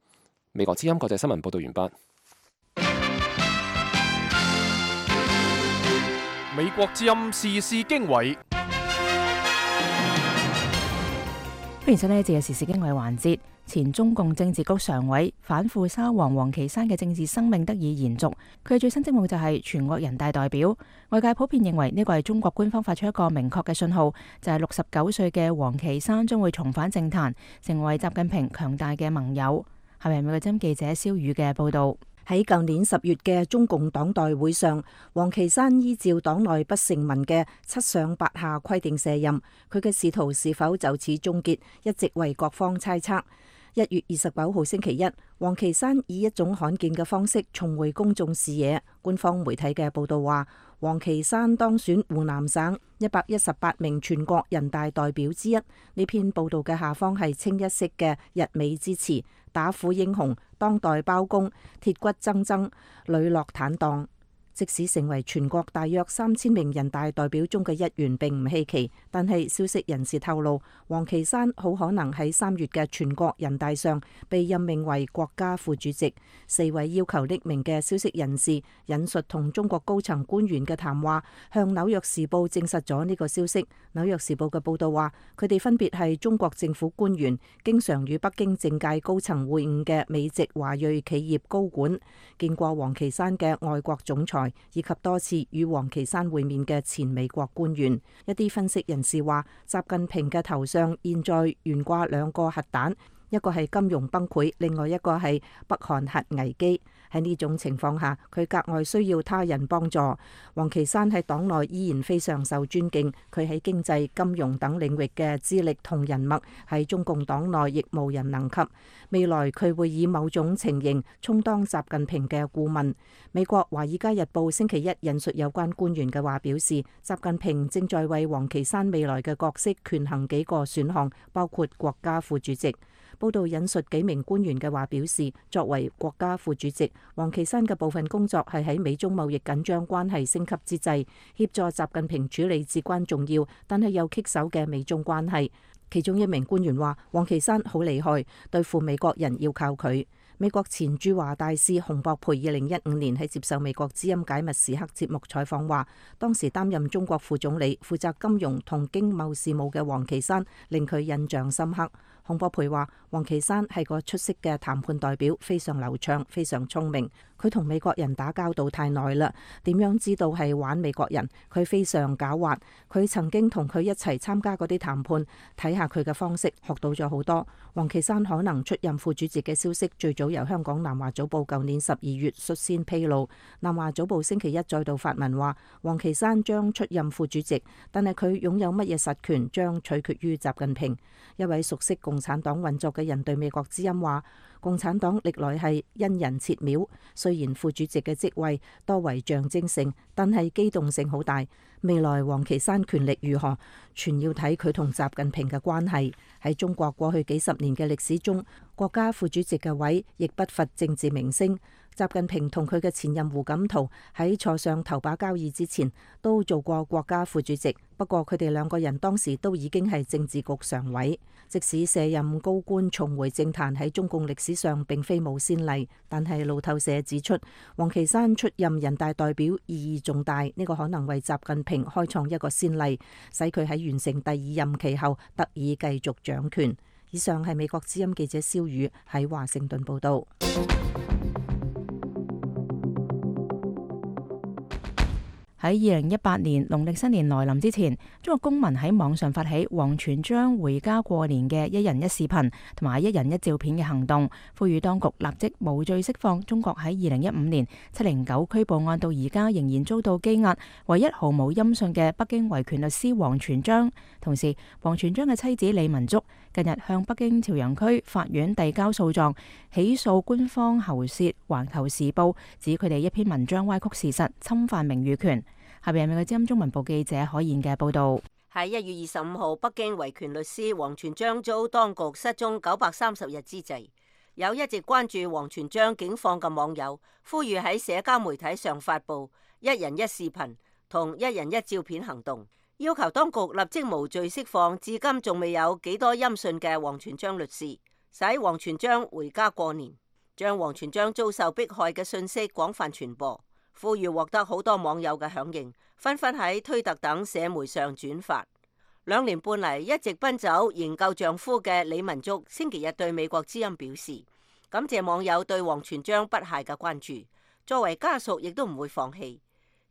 美國之音國際新聞報道完畢。美國之音時事經緯。歡迎收聽呢一節嘅時事經緯環節。前中共政治局常委反腐沙皇王岐山嘅政治生命得以延續，佢嘅最新職務就係全國人大代表。外界普遍認為呢個係中國官方發出一個明確嘅信號，就係69歲嘅王岐山將會重返政壇，成為習近平強大嘅盟友。下面係美國之音記者蕭宇嘅報道。喺舊年10月嘅中共黨代會上，王岐山依照黨內不成文嘅7上8下規定卸任，佢嘅仕途是否就此終結，一直為各方猜測。1月29號星期一，王岐山以一種罕見嘅方式重回公眾視野。官方媒體嘅報道話，王岐山當選湖南省118名全國人大代表之一。呢篇報道嘅下方係清一色嘅溢美之詞，打虎英雄、當代包公、鐵骨錚錚、磊落坦蕩。即使成為全國大約3000名人大代表中嘅一員並唔稀奇，但係消息人士透露，王岐山好可能喺3月嘅全國人大上被任命為國家副主席。4位要求匿名嘅消息人士引述同中國高層官員嘅談話，向紐約時報證實咗呢個消息。紐約時報嘅報道話，佢哋分別係中國政府官員，經常與北京政界高層會晤嘅美籍華裔企業高管，見過王岐山嘅外國總裁，以及多次與王岐山會面嘅前美國官員。一啲分析人士話，習近平嘅頭上現在懸掛2個核彈，一個係金融崩潰，另外一個係北韓核危機。喺呢種情況下，佢格外需要他人幫助。王岐山喺黨內依然非常受尊敬，佢喺經濟、金融等領域嘅資歷同人脈喺中共黨內亦無人能及。未來佢會以某種情形充當習近平嘅顧問。美國《華爾街日報》星期一引述有關官員嘅話表示，習近平正在為王岐山未來嘅角色權衡幾個選項，包括國家副主席。報道引述幾名官員嘅話表示，作為國家副主席，王岐山嘅部分工作係喺美中貿易緊張關係升級之際，協助習近平處理至關重要但係又棘手嘅美中關係。其中一名官員話，王岐山好厲害，對付美國人要靠佢。美國前駐華大使洪博培2015年喺接受美國之音解密時刻節目採訪話，當時擔任中國副總理負責金融同經貿事務嘅王岐山令佢印象深刻。洪博培話，王岐山係個出色嘅談判代表，非常流暢，非常聰明。佢同美國人打交道太耐啦，點樣知道係玩美國人？佢非常狡猾。佢曾經同佢一齊參加嗰啲談判，睇下佢嘅方式，學到咗好多。王岐山可能出任副主席嘅消息，最早由香港南華早報舊年12月率先披露。南華早報星期一再度發文話，王岐山將出任副主席，但係佢擁有乜嘢實權將取決於習近平。一位熟悉共產黨運作嘅人對美國之音話，共產黨歷來係因人設廟，雖然副主席嘅職位多為象徵性，但係機動性好大。未來王岐山權力如何，全要睇佢同習近平嘅關係。喺中國過去幾十年嘅歷史中，國家副主席嘅位亦不乏政治明星。習近平同佢嘅前任胡錦濤喺坐上頭把交椅之前都做過國家副主席，不過佢哋2個人當時都已經係政治局常委。即使卸任高官重回政壇喺中共歷史上並非冇先例，但係路透社指出，王岐山出任人大代表意義重大，呢個可能為習近平開創一個先例，使佢喺完成第2任期後得以繼續掌權。以上係美國之音記者蕭宇喺華盛頓報道。喺2018年農曆新年來臨之前，中國公民喺網上發起王全璋回家過年嘅一人一視頻同埋一人一照片嘅行動，呼籲當局立即無罪釋放中國喺2015年709拘捕案到而家仍然遭到羈押、唯一毫無音訊嘅北京維權律師王全璋。同時，王全璋嘅妻子李文足近日向北京朝陽區法院遞交訴狀，起訴官方喉舌《環球時報》，指佢哋一篇文章歪曲事實，侵犯名譽權。下邊係美國之音中文部記者可燕嘅報道。喺1月25號，北京維權律師王全璋遭當局失蹤930日之際，有一直關注王全璋境況嘅網友呼籲喺社交媒體上發布一人一視頻同一人一照片行動，要求當局立即無罪釋放至今仲未有幾多音訊嘅王全璋律師，使王全璋回家過年，將王全璋遭受迫害嘅信息廣泛傳播。呼籲獲得好多網友嘅響應，紛紛喺推特等社媒上轉發。2年半嚟一直奔走營救丈夫嘅李文足星期日對美國之音表示，感謝網友對王全璋不懈嘅關注，作為家屬亦都唔會放棄，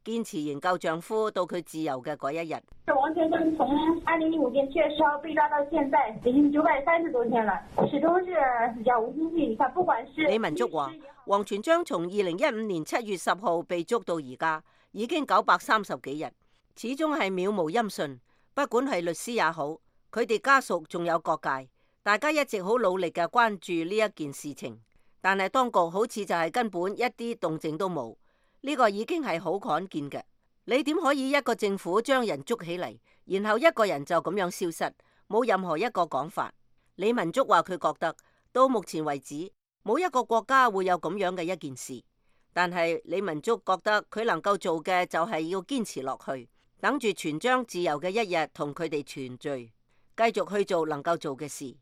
堅持營救丈夫到佢自由嘅嗰一日。王全璋從2015年7月10號被抓到現在已經930多天了，始終是杳無音訊。他不管是李文足話，王全璋從2015年7月10號被捉到而家已經930幾日，始終係渺無音訊。不管係律師也好，佢哋家屬仲有各界，大家一直好努力嘅關注呢一件事情，但係當局好似就係根本一啲動靜都冇，呢個已經係好罕見嘅。你點可以一個政府將人捉起嚟，然後一個人就咁樣消失，冇任何一個講法？李文足話佢覺得到目前為止冇一個國家會有咁樣嘅一件事，但係李文足覺得佢能夠做嘅就係要堅持落去，等住全璋自由嘅一日同佢哋團聚，繼續去做能夠做嘅事。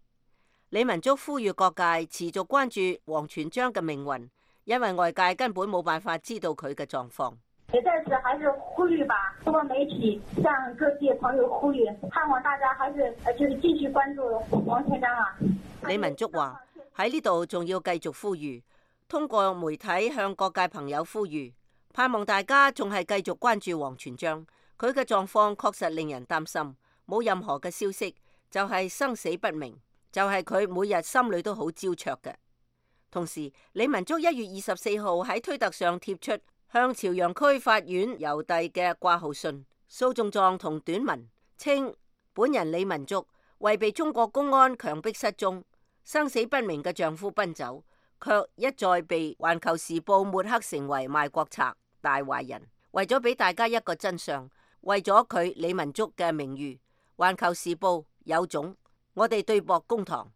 李文足呼籲各界持續關注王全璋嘅命運，因為外界根本冇辦法知道佢嘅狀況。也在此還是呼籲吧，通過媒體向各界朋友呼籲，盼望大家還是繼續關注王全璋啊。李文足話喺呢度仲要繼續呼籲，通過媒體向各界朋友呼籲，盼望大家仲係繼續關注王全璋。佢嘅狀況確實令人擔心，冇任何嘅消息，就係生死不明，就係佢每日心裏都好焦灼嘅。同時，李文足1月24號喺推特上貼出向朝陽區法院郵遞嘅掛號信、訴訟狀同短文，稱本人李文足為被中國公安強迫失蹤、生死不明嘅丈夫奔走，卻一再被環球時報抹黑成為賣國賊、大壞人。為咗俾大家一個真相，為咗佢李文足嘅名譽，環球時報有種，我哋對簿公堂。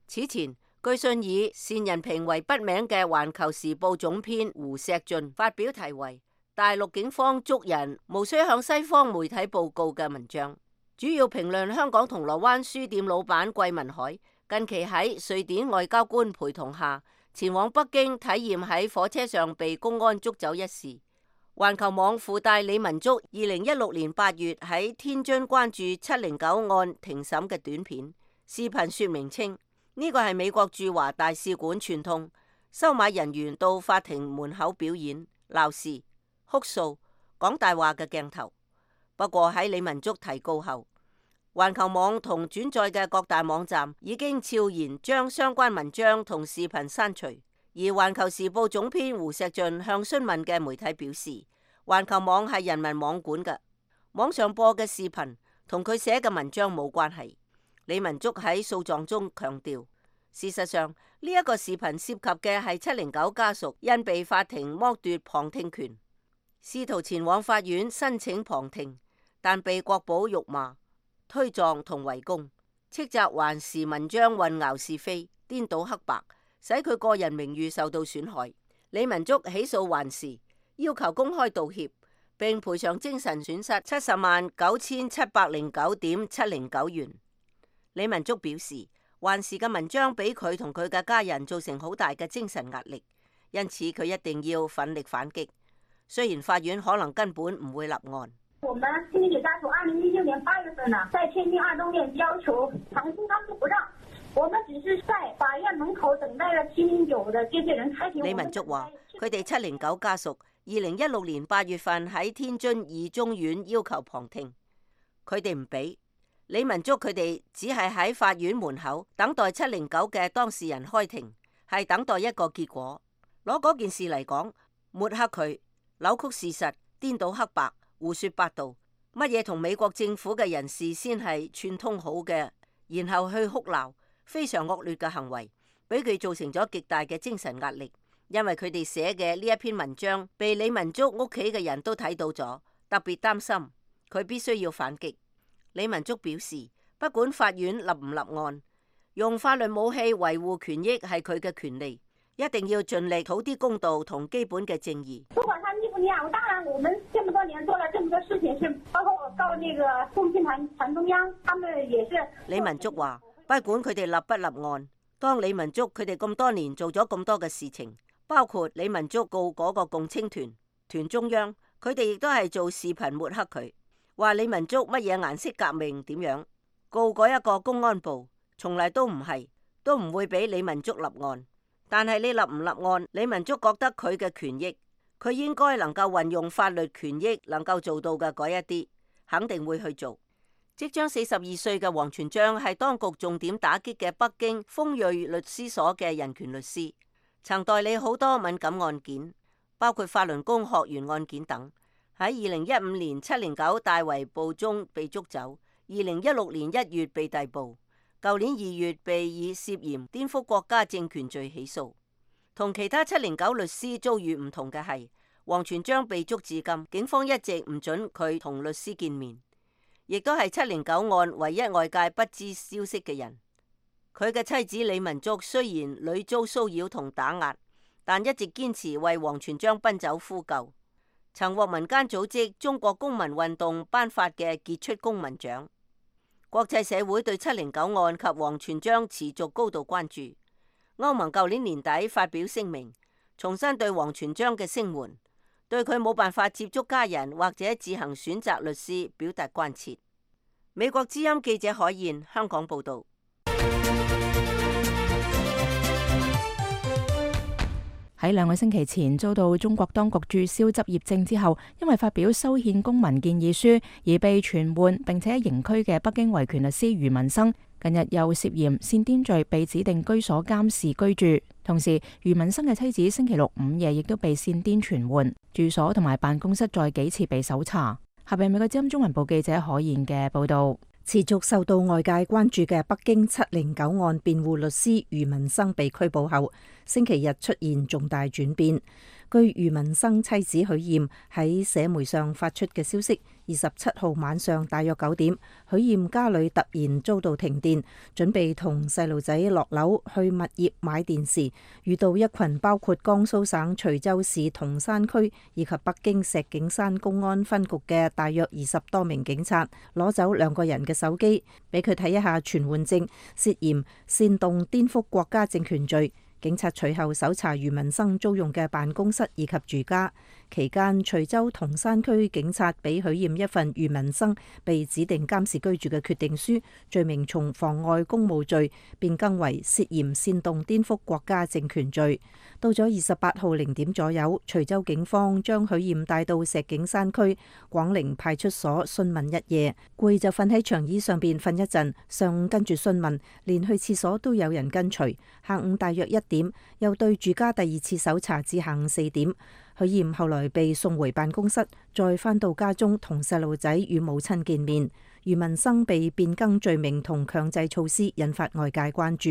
此前，據信以單人平為筆名嘅環球時報總編胡錫進發表題為《大陸警方捉人無需向西方媒體報告》嘅文章，主要評論香港銅鑼灣書店老闆桂民海近期喺瑞典外交官陪同下前往北京體驗喺火車上被公安捉走一事。環球網附帶李文足2016年8月喺天津關注709案庭審嘅短片視頻，說明稱呢個係美國駐華大使館串通收買人員到法庭門口表演鬧事、哭訴、講大話嘅鏡頭。不過喺李文足提告後，環球網同轉載嘅各大網站已經悄然將相關文章同視頻刪除。而環球時報總編胡錫進向詢問嘅媒體表示，環球網係人民網管嘅，網上播嘅視頻同佢寫嘅文章冇關係。李文足喺訴狀中強調，事實上呢一個視頻涉及嘅係709家屬因被法庭剝奪旁聽權，試圖前往法院申請旁聽，但被國保辱罵、推撞同圍攻，斥責環時文章混淆是非、顛倒黑白，使佢個人名譽受到損害。李文足起訴環時，要求公開道歉並賠償精神損失709709.709元。李文足表示，環時嘅文章俾佢同佢嘅家人造成好大嘅精神壓力，因此佢一定要奮力反擊。雖然法院可能根本唔會立案。我們親戚家屬2016年8月份呢，在天津二中院要求旁聽，他們不讓。我們只是在法院門口等待了709的這些人開庭。李文足話：佢哋709家屬2016年8月份喺天津二中院要求旁聽，佢哋唔俾。李文竹佢哋只係喺法院門口等待709嘅當事人開庭，係等待一個結果。攞嗰件事嚟講，抹黑佢，扭曲事實，顛倒黑白，胡說八道，乜嘢同美國政府嘅人士先係串通好嘅，然後去哭鬧，非常惡劣嘅行為，俾佢造成咗極大嘅精神壓力。因為佢哋寫嘅呢一篇文章被李文竹屋企嘅人都睇到咗，特別擔心，佢必須要反擊。李文竹表示，不管法院立唔立案，用法律武器維護權益係佢嘅權利，一定要盡力討啲公道同基本嘅正義。不管他立不立案，當然我們這麼多年做了這麼多事情，是包括我告那個共青團中央，他們也是。李文竹話，不管佢哋立不立案，當李文竹佢哋咁多年做咗咁多嘅事情，包括李文竹告嗰個共青團中央，佢哋亦都係做視頻抹黑佢。話李文竹乜嘢顏色革命點樣，告嗰一個公安部，從嚟都唔係，都唔會俾李文竹立案。但係你立唔立案，李文竹覺得佢嘅權益，佢應該能夠運用法律權益能夠做到嘅嗰一啲，肯定會去做。即將42歲嘅王全璋係當局重點打擊嘅北京豐瑞律師所嘅人權律師，曾代理好多敏感案件，包括法輪功學員案件等。喺2015年709大圍捕中被捉走，2016年1月被逮捕，舊年2月被以涉嫌顛覆國家政權罪起訴。同其他709律師遭遇唔同嘅係，王全璋被捉至今，警方一直唔准佢同律師見面，亦都係709案唯一外界不知消息嘅人。佢嘅妻子李文竹雖然屢遭騷擾同打壓，但一直堅持為王全璋奔走呼救。曾獲民間組織中國公民運動頒發嘅傑出公民獎。國際社會對709案及王全璋持續高度關注。歐盟舊年年底發表聲明，重申對王全璋嘅聲援，對佢冇辦法接觸家人或者自行選擇律師表達關切。美國之音記者海燕香港報道。喺2個星期前遭到中國當局註銷執業證之後，因為發表修憲公民建議書而被傳喚並且刑拘嘅北京維權律師余文生，近日又涉嫌煽顛罪被指定居所監視居住。同時，余文生嘅妻子星期六午夜亦都被煽顛傳喚，住所同埋辦公室再幾次被搜查。下邊美國之音中文部記者海燕嘅報道。持續受到外界關注嘅北京709案辯護律師余文生被拘捕後，星期日出現重大轉變。據余文生妻子許艷喺社媒上發出嘅消息，27號晚上大約9點，許艷家裏突然遭到停電，準備同細路仔落樓去物業買電時，遇到一群包括江蘇省徐州市銅山區以及北京石景山公安分局嘅大約20多名警察，攞走2個人嘅手機，俾佢睇一下傳喚證，涉嫌煽動顛覆國家政權罪。警察隨後搜查余文生租用嘅辦公室以及住家，期間徐州銅山區警察俾許艷一份余文生被指定監視居住嘅決定書，罪名從妨礙公務罪變更為涉嫌煽動顛覆國家政權罪。到咗28號0點左右，徐州警方將許艷帶到石景山區廣寧派出所詢問一夜，攰就瞓喺長椅上邊瞓一陣，上午跟住詢問，連去廁所都有人跟隨。下午大約1點，又對住家第2次搜查至下午4點。許艷後來被送回辦公室，再返到家中同細路仔與母親見面。余文生被變更罪名同強制措施，引發外界關注。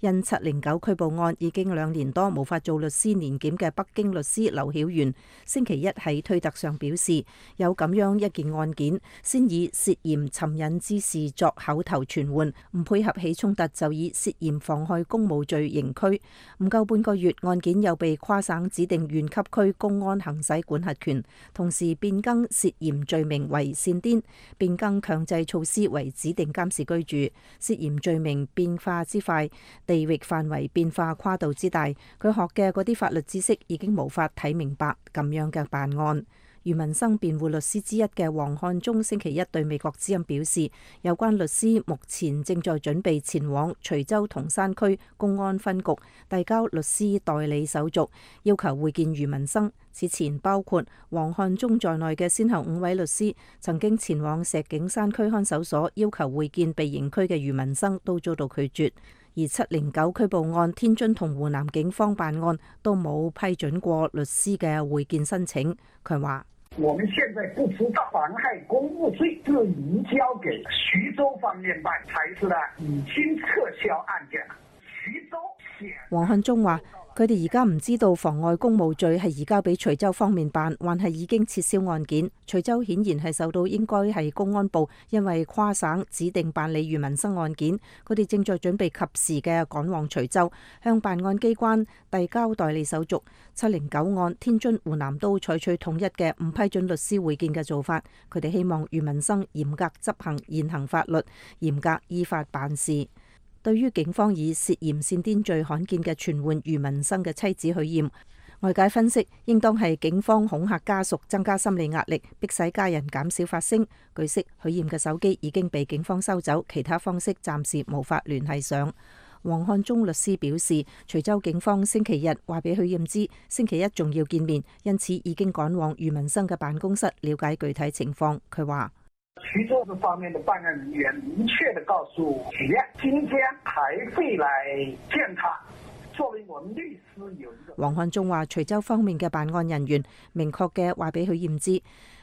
因709拘捕案已經2年多無法做律師年檢嘅北京律師劉曉元，星期一喺推特上表示，有咁樣一件案件，先以涉嫌尋釁滋事作口頭傳喚，唔配合起衝突就以涉嫌妨害公務罪刑拘。唔夠半個月，案件又被跨省指定縣級區公安行使管轄權，同時變更涉嫌罪名為煽顛，變更強制措施為指定監視居住。涉嫌罪名變化之快，地域範圍變化跨度之大，佢學嘅嗰啲法律知識已經無法睇明白咁樣嘅辦案。余文生辯護律師之一嘅黃漢忠星期一對美國之音表示，有關律師目前正在準備前往徐州同山區公安分局遞交律師代理手續，要求會見余文生。此前包括黃漢忠在內嘅先後5位律師曾經前往石景山區看守所要求會見被刑拘嘅余文生，都遭到拒絕。而709拘捕案，天津同湖南警方辦案都冇批准過律師嘅會見申請。佢話：我們現在不知道妨害公務罪就移交給徐州方面辦，才是呢已經撤銷案件。徐州黃漢忠話：佢哋而家唔知道妨礙公務罪係移交俾徐州方面辦，還係已經撤銷案件。徐州顯然係受到應該係公安部因為跨省指定辦理余文生案件，佢哋正在準備及時嘅趕往徐州向辦案機關遞交代理手續。709案，天津、湖南都採取統一嘅唔批准律師會見嘅做法。佢哋希望余文生嚴格執行現行法律，嚴格依法辦事。對於警方以涉嫌煽顛罪罕見嘅傳喚余文生嘅妻子許艷，外界分析應當係警方恐嚇家屬，增加心理壓力，迫使家人減少發聲。據悉，許艷嘅手機已經被警方收走，其他方式暫時無法聯繫上。黃漢忠律師表示，徐州警方星期日話俾許艷知，星期一仲要見面，因此已經趕往余文生嘅辦公室了解具體情況。佢話：徐州這方面的辦案人員明確地告訴許艷，今天還會來見他。作為我們律師有一個。黃漢忠話，徐州方面嘅辦案人員明確嘅話俾許艷知，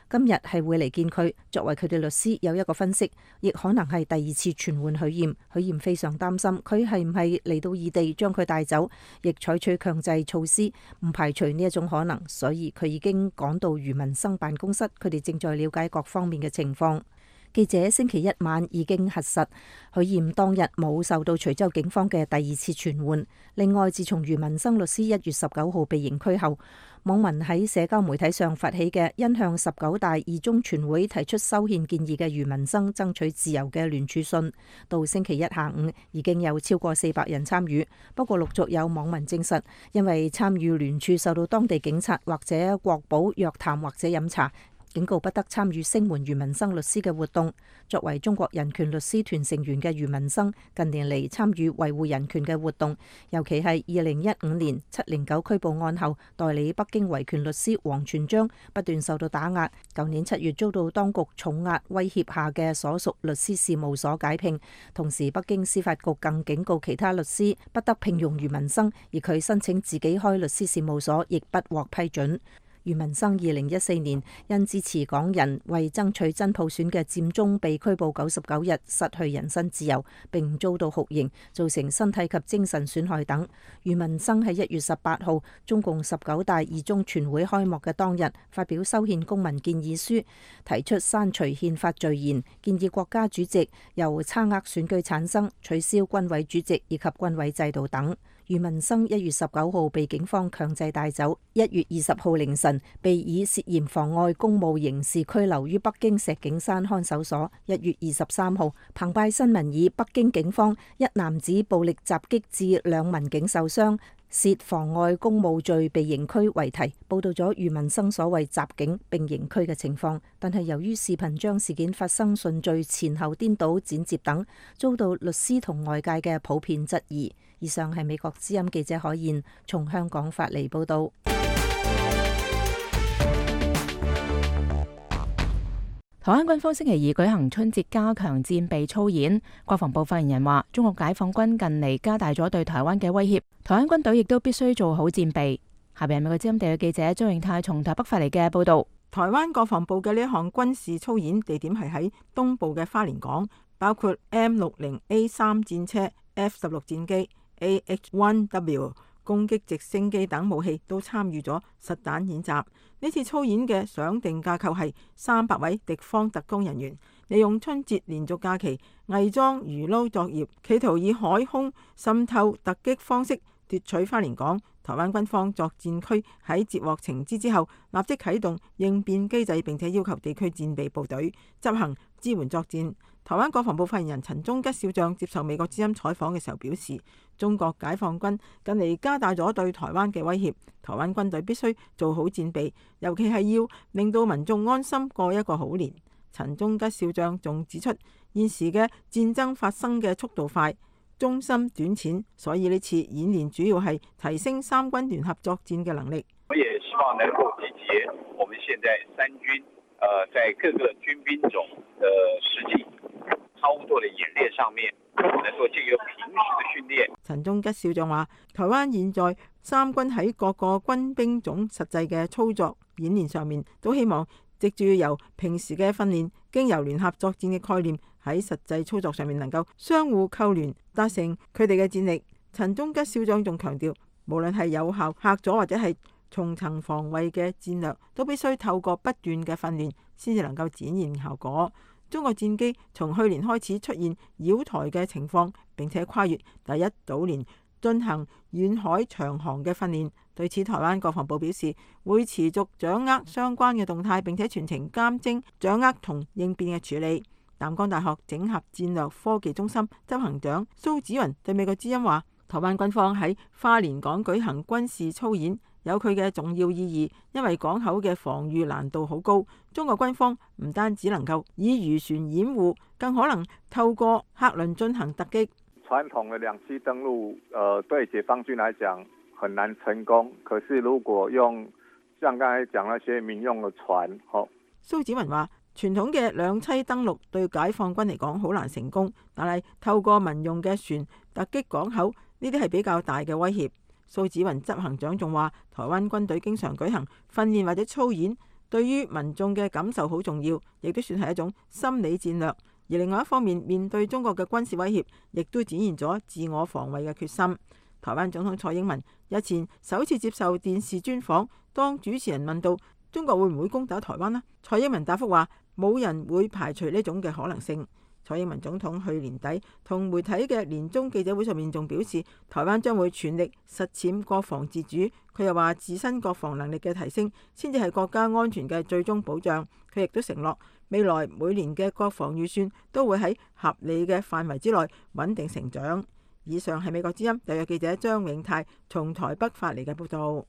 今日係會嚟見佢。作為佢哋律師有一個分析，亦可能係第二次傳喚許艷。許艷非常擔心佢係唔係嚟到異地將佢帶走，亦採取強制措施，唔排除呢一種可能。所以佢已經趕到余文生辦公室，佢哋正在了解各方面嘅情況。記者星期一晚已經核實，許艷當日冇受到徐州警方嘅第二次傳喚。另外，自從余文生律師1月19號被刑拘後，網民喺社交媒體上發起嘅因向19大二中全會提出修憲建議嘅余文生爭取自由嘅聯署信，到星期一下午已經有超過400人參與。不過陸續有網民證實，因為參與聯署受到當地警察或者國保約談或者飲茶，警告不得參與聲援余文生律師嘅活動。作為中國人權律師團成員嘅余文生，近年嚟參與維護人權嘅活動，尤其係2015年709拘捕案後，代理北京維權律師王全璋不斷受到打壓。舊年7月遭到當局重壓威脅下嘅所屬律師事務所解聘，同時北京司法局更警告其他律師不得聘用余文生，而佢申請自己開律師事務所亦不獲批准。余文生2014年因支持港人為爭取真普選嘅佔中被拘捕99日，失去人身自由，並遭到酷刑，造成身體及精神損害等。余文生喺1月18號中共19大二中全會開幕嘅當日發表修憲公民建議書，提出刪除憲法序言，建議國家主席由差額選舉產生，取消軍委主席以及軍委制度等。余文生1月19號被警方強制帶走，1月20號凌晨被以涉嫌妨礙公務刑事拘留於北京石景山看守所。1月23號，澎湃新聞以北京警方一男子暴力襲擊致2民警受傷，涉妨礙公務罪被刑拘為題，報道咗余文生所謂襲警並刑拘嘅情況。但係由於視頻將事件發生順序前後顛倒剪接等，遭到律師同外界嘅普遍質疑。以上係美國之音記者海燕從香港發嚟報道。台灣軍方星期二舉行春節加強戰備操演，國防部發言人話：中國解放軍近嚟加大咗對台灣嘅威脅，台灣軍隊亦都必須做好戰備。下邊係美國之音地嘅記者張永泰從台北發嚟嘅報道。台灣國防部嘅呢一項軍事操演地點係喺東部嘅花蓮港，包括 M60A3 戰車、F16 戰機、AH-1W 攻擊直升機等武器都參與咗實彈演習。呢次操演嘅想定架構係300位敵方特工人員，利用春節連續假期偽裝魚撈作業，企圖以海空滲透突擊方式奪取花蓮港，台灣軍方作戰區喺接獲情資之後，立即啟動應變機制，並且要求地區戰備部隊執行支援作戰。台灣國防部發言人陳忠吉少將接受美國之音採訪嘅時候表示，中國解放軍近嚟加大咗對台灣嘅威脅，台灣軍隊必須做好戰備，尤其係要令到民眾安心過一個好年。陳忠吉少將仲指出，現時嘅戰爭發生嘅速度快、中心短淺，所以呢次演練主要係提升三軍聯合作戰嘅能力。我也希望能夠集結我們現在三軍，在各個軍兵種的實際操作的演練上面，能夠借由平時的訓練。陳忠吉少將話，台灣現在三軍喺各個軍兵種實際嘅操作演練上面，都希望藉住由平時嘅訓練，經由聯合作戰嘅概念喺實際操作上面能夠相互扣聯，達成佢哋嘅戰力。陳忠吉少將仲強調，無論係有效嚇阻或者係重層防衛嘅戰略，都必須透過不斷嘅訓練先至能夠展現效果。中國戰機從去年開始出現擾台嘅情況，並且跨越第一島鏈進行遠海長航嘅訓練。對此，台灣國防部表示會持續掌握相關嘅動態，並且全程監偵、掌握同應變嘅處理。淡江大學整合戰略科技中心執行長蘇紫雲對美國之音話，台灣軍方喺花蓮港舉行軍事操演有佢嘅重要意義，因為港口嘅防禦難度好高，中國軍方唔單只能夠以漁船掩護，更可能透過客輪進行突擊。傳統嘅兩棲登陸，對解放軍來講很難成功。可是如果用像剛才講那些民用嘅船，蘇紫雲話，傳統嘅兩棲登陸對解放軍嚟講好難成功，但係透過民用嘅船突擊港口，呢啲係比較大嘅威脅。蘇紫雲執行長仲話，台灣軍隊經常舉行訓練或者操演，對於民眾嘅感受好重要，亦都算係一種心理戰略。而另外一方面，面對中國嘅軍事威脅，亦都展現咗自我防衛嘅決心。台灣總統蔡英文日前首次接受電視專訪，當主持人問到中國會唔會攻打台灣呢？蔡英文答覆話，冇人會排除呢種嘅可能性。蔡英文總統去年底同媒體嘅年終記者會上面仲表示，台灣將會全力實踐國防自主。佢又話，自身國防能力嘅提升先至係國家安全嘅最終保障。佢亦都承諾，未來每年嘅國防預算都會喺合理嘅範圍之內穩定成長。以上係美國之音特約記者張永泰從台北發嚟嘅報道。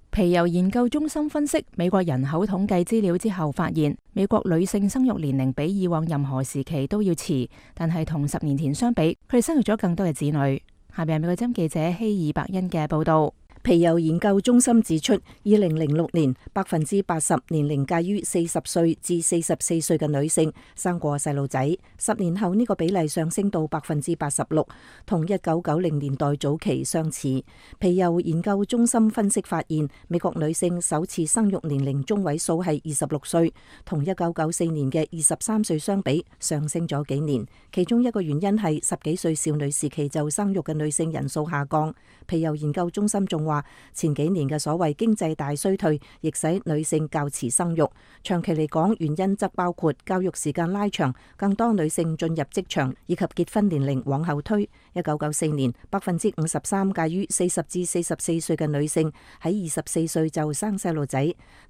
皮尤研究中心分析美國人口統計資料之後發現，美國女性生育年齡比以往任何時期都要遲，但係同10年前相比，佢哋生育咗更多嘅子女。下邊係美國之音記者希爾伯恩嘅報道。皮尤研究中心指出，2006年80%年齡介於40歲至44歲嘅女性生過細路仔，10年後呢個比例上升到86%，同1990年代早期相似。皮尤研究中心分析發現，美國女性首次生育年齡中位數係26歲，同1994年嘅23歲相比上升咗幾年。其中一個原因係10幾歲少女時期就生育嘅女性人數下降。皮尤研究中心仲話，前幾年嘅所謂經濟大衰退，亦使女性較遲生育。長期嚟講，原因則包括教育時間拉長，更多女性進入職場，以及結婚年齡往後推。1994年53%介於40至44歲嘅女性喺24歲就生細路仔，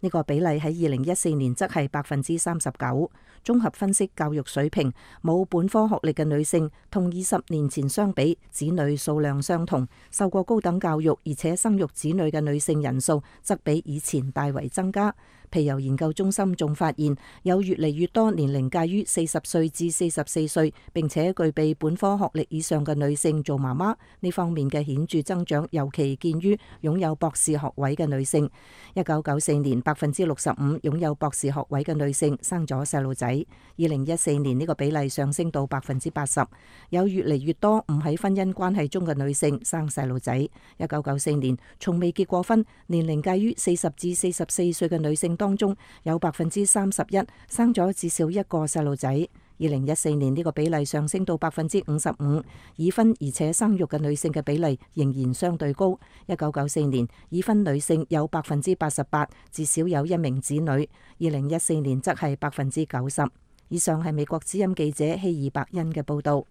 呢個比例喺2014年則係39%。綜合分析教育水平，冇本科學歷嘅女性同20年前相比，子女數量相同，受過高等教育而且生育子女嘅女性人數則比以前大為增加。皮尤研究中心仲發現，有越嚟越多年齡介於40歲至44歲並且具備本科學歷以上嘅女性做媽媽，呢方面嘅顯著增長尤其見於擁有博士學位嘅女性。1994年65%擁有博士學位嘅女性生咗細路仔，2014年呢個比例上升到80%。有越嚟越多唔喺婚姻關係中嘅女性生細路仔。1994年從未結過婚，年齡介於40至44歲嘅女性當中有31%生咗至少一個細路仔。2014年呢個比例上升到55%，已婚而且生育嘅女性嘅比例仍然相對高。1994年已婚女性有88%至少有一名子女，2014年則係90%。以上係美國之音記者希爾伯恩嘅報道。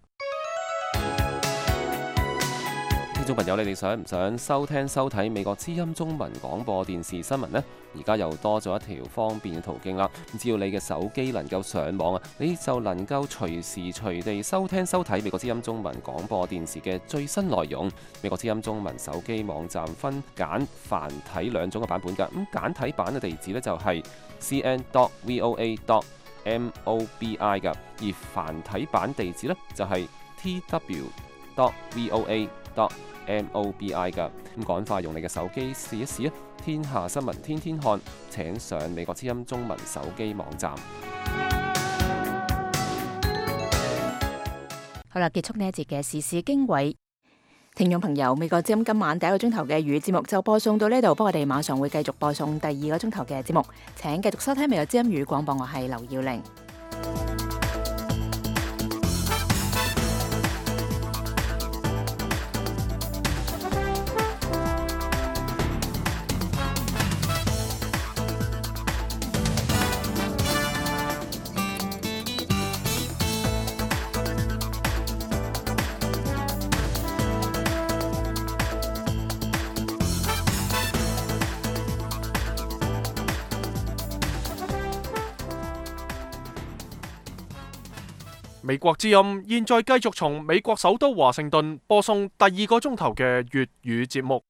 聽眾朋友，你哋想唔想收聽收睇美國之音中文廣播電視新聞呢？而家又多咗一條方便嘅途徑啦。只要你嘅手機能夠上網啊，你就能夠隨時隨地收聽收睇美國之音中文廣播電視嘅最新內容。美國之音中文手機網站分簡繁體兩種嘅版本㗎。咁簡體版嘅地址呢，就係 cn.voa.mobi 㗎，而繁體版地址呢，就係 tw.voa.mobi 㗎。咁趕快用你嘅手機試一試啊！天下新聞天天看，請上美國之音中文手機網站。好啦，結束呢一節嘅時事經緯。聽眾朋友，美國之音今晚第一個鐘頭嘅粵語節目就播送到呢度，不過我哋馬上會繼續播送第二個鐘頭嘅節目，請繼續收聽美國之音粵語廣播，我係劉耀玲。美國之音現在繼續從美國首都華盛頓播送第二個鐘頭嘅粵語節目。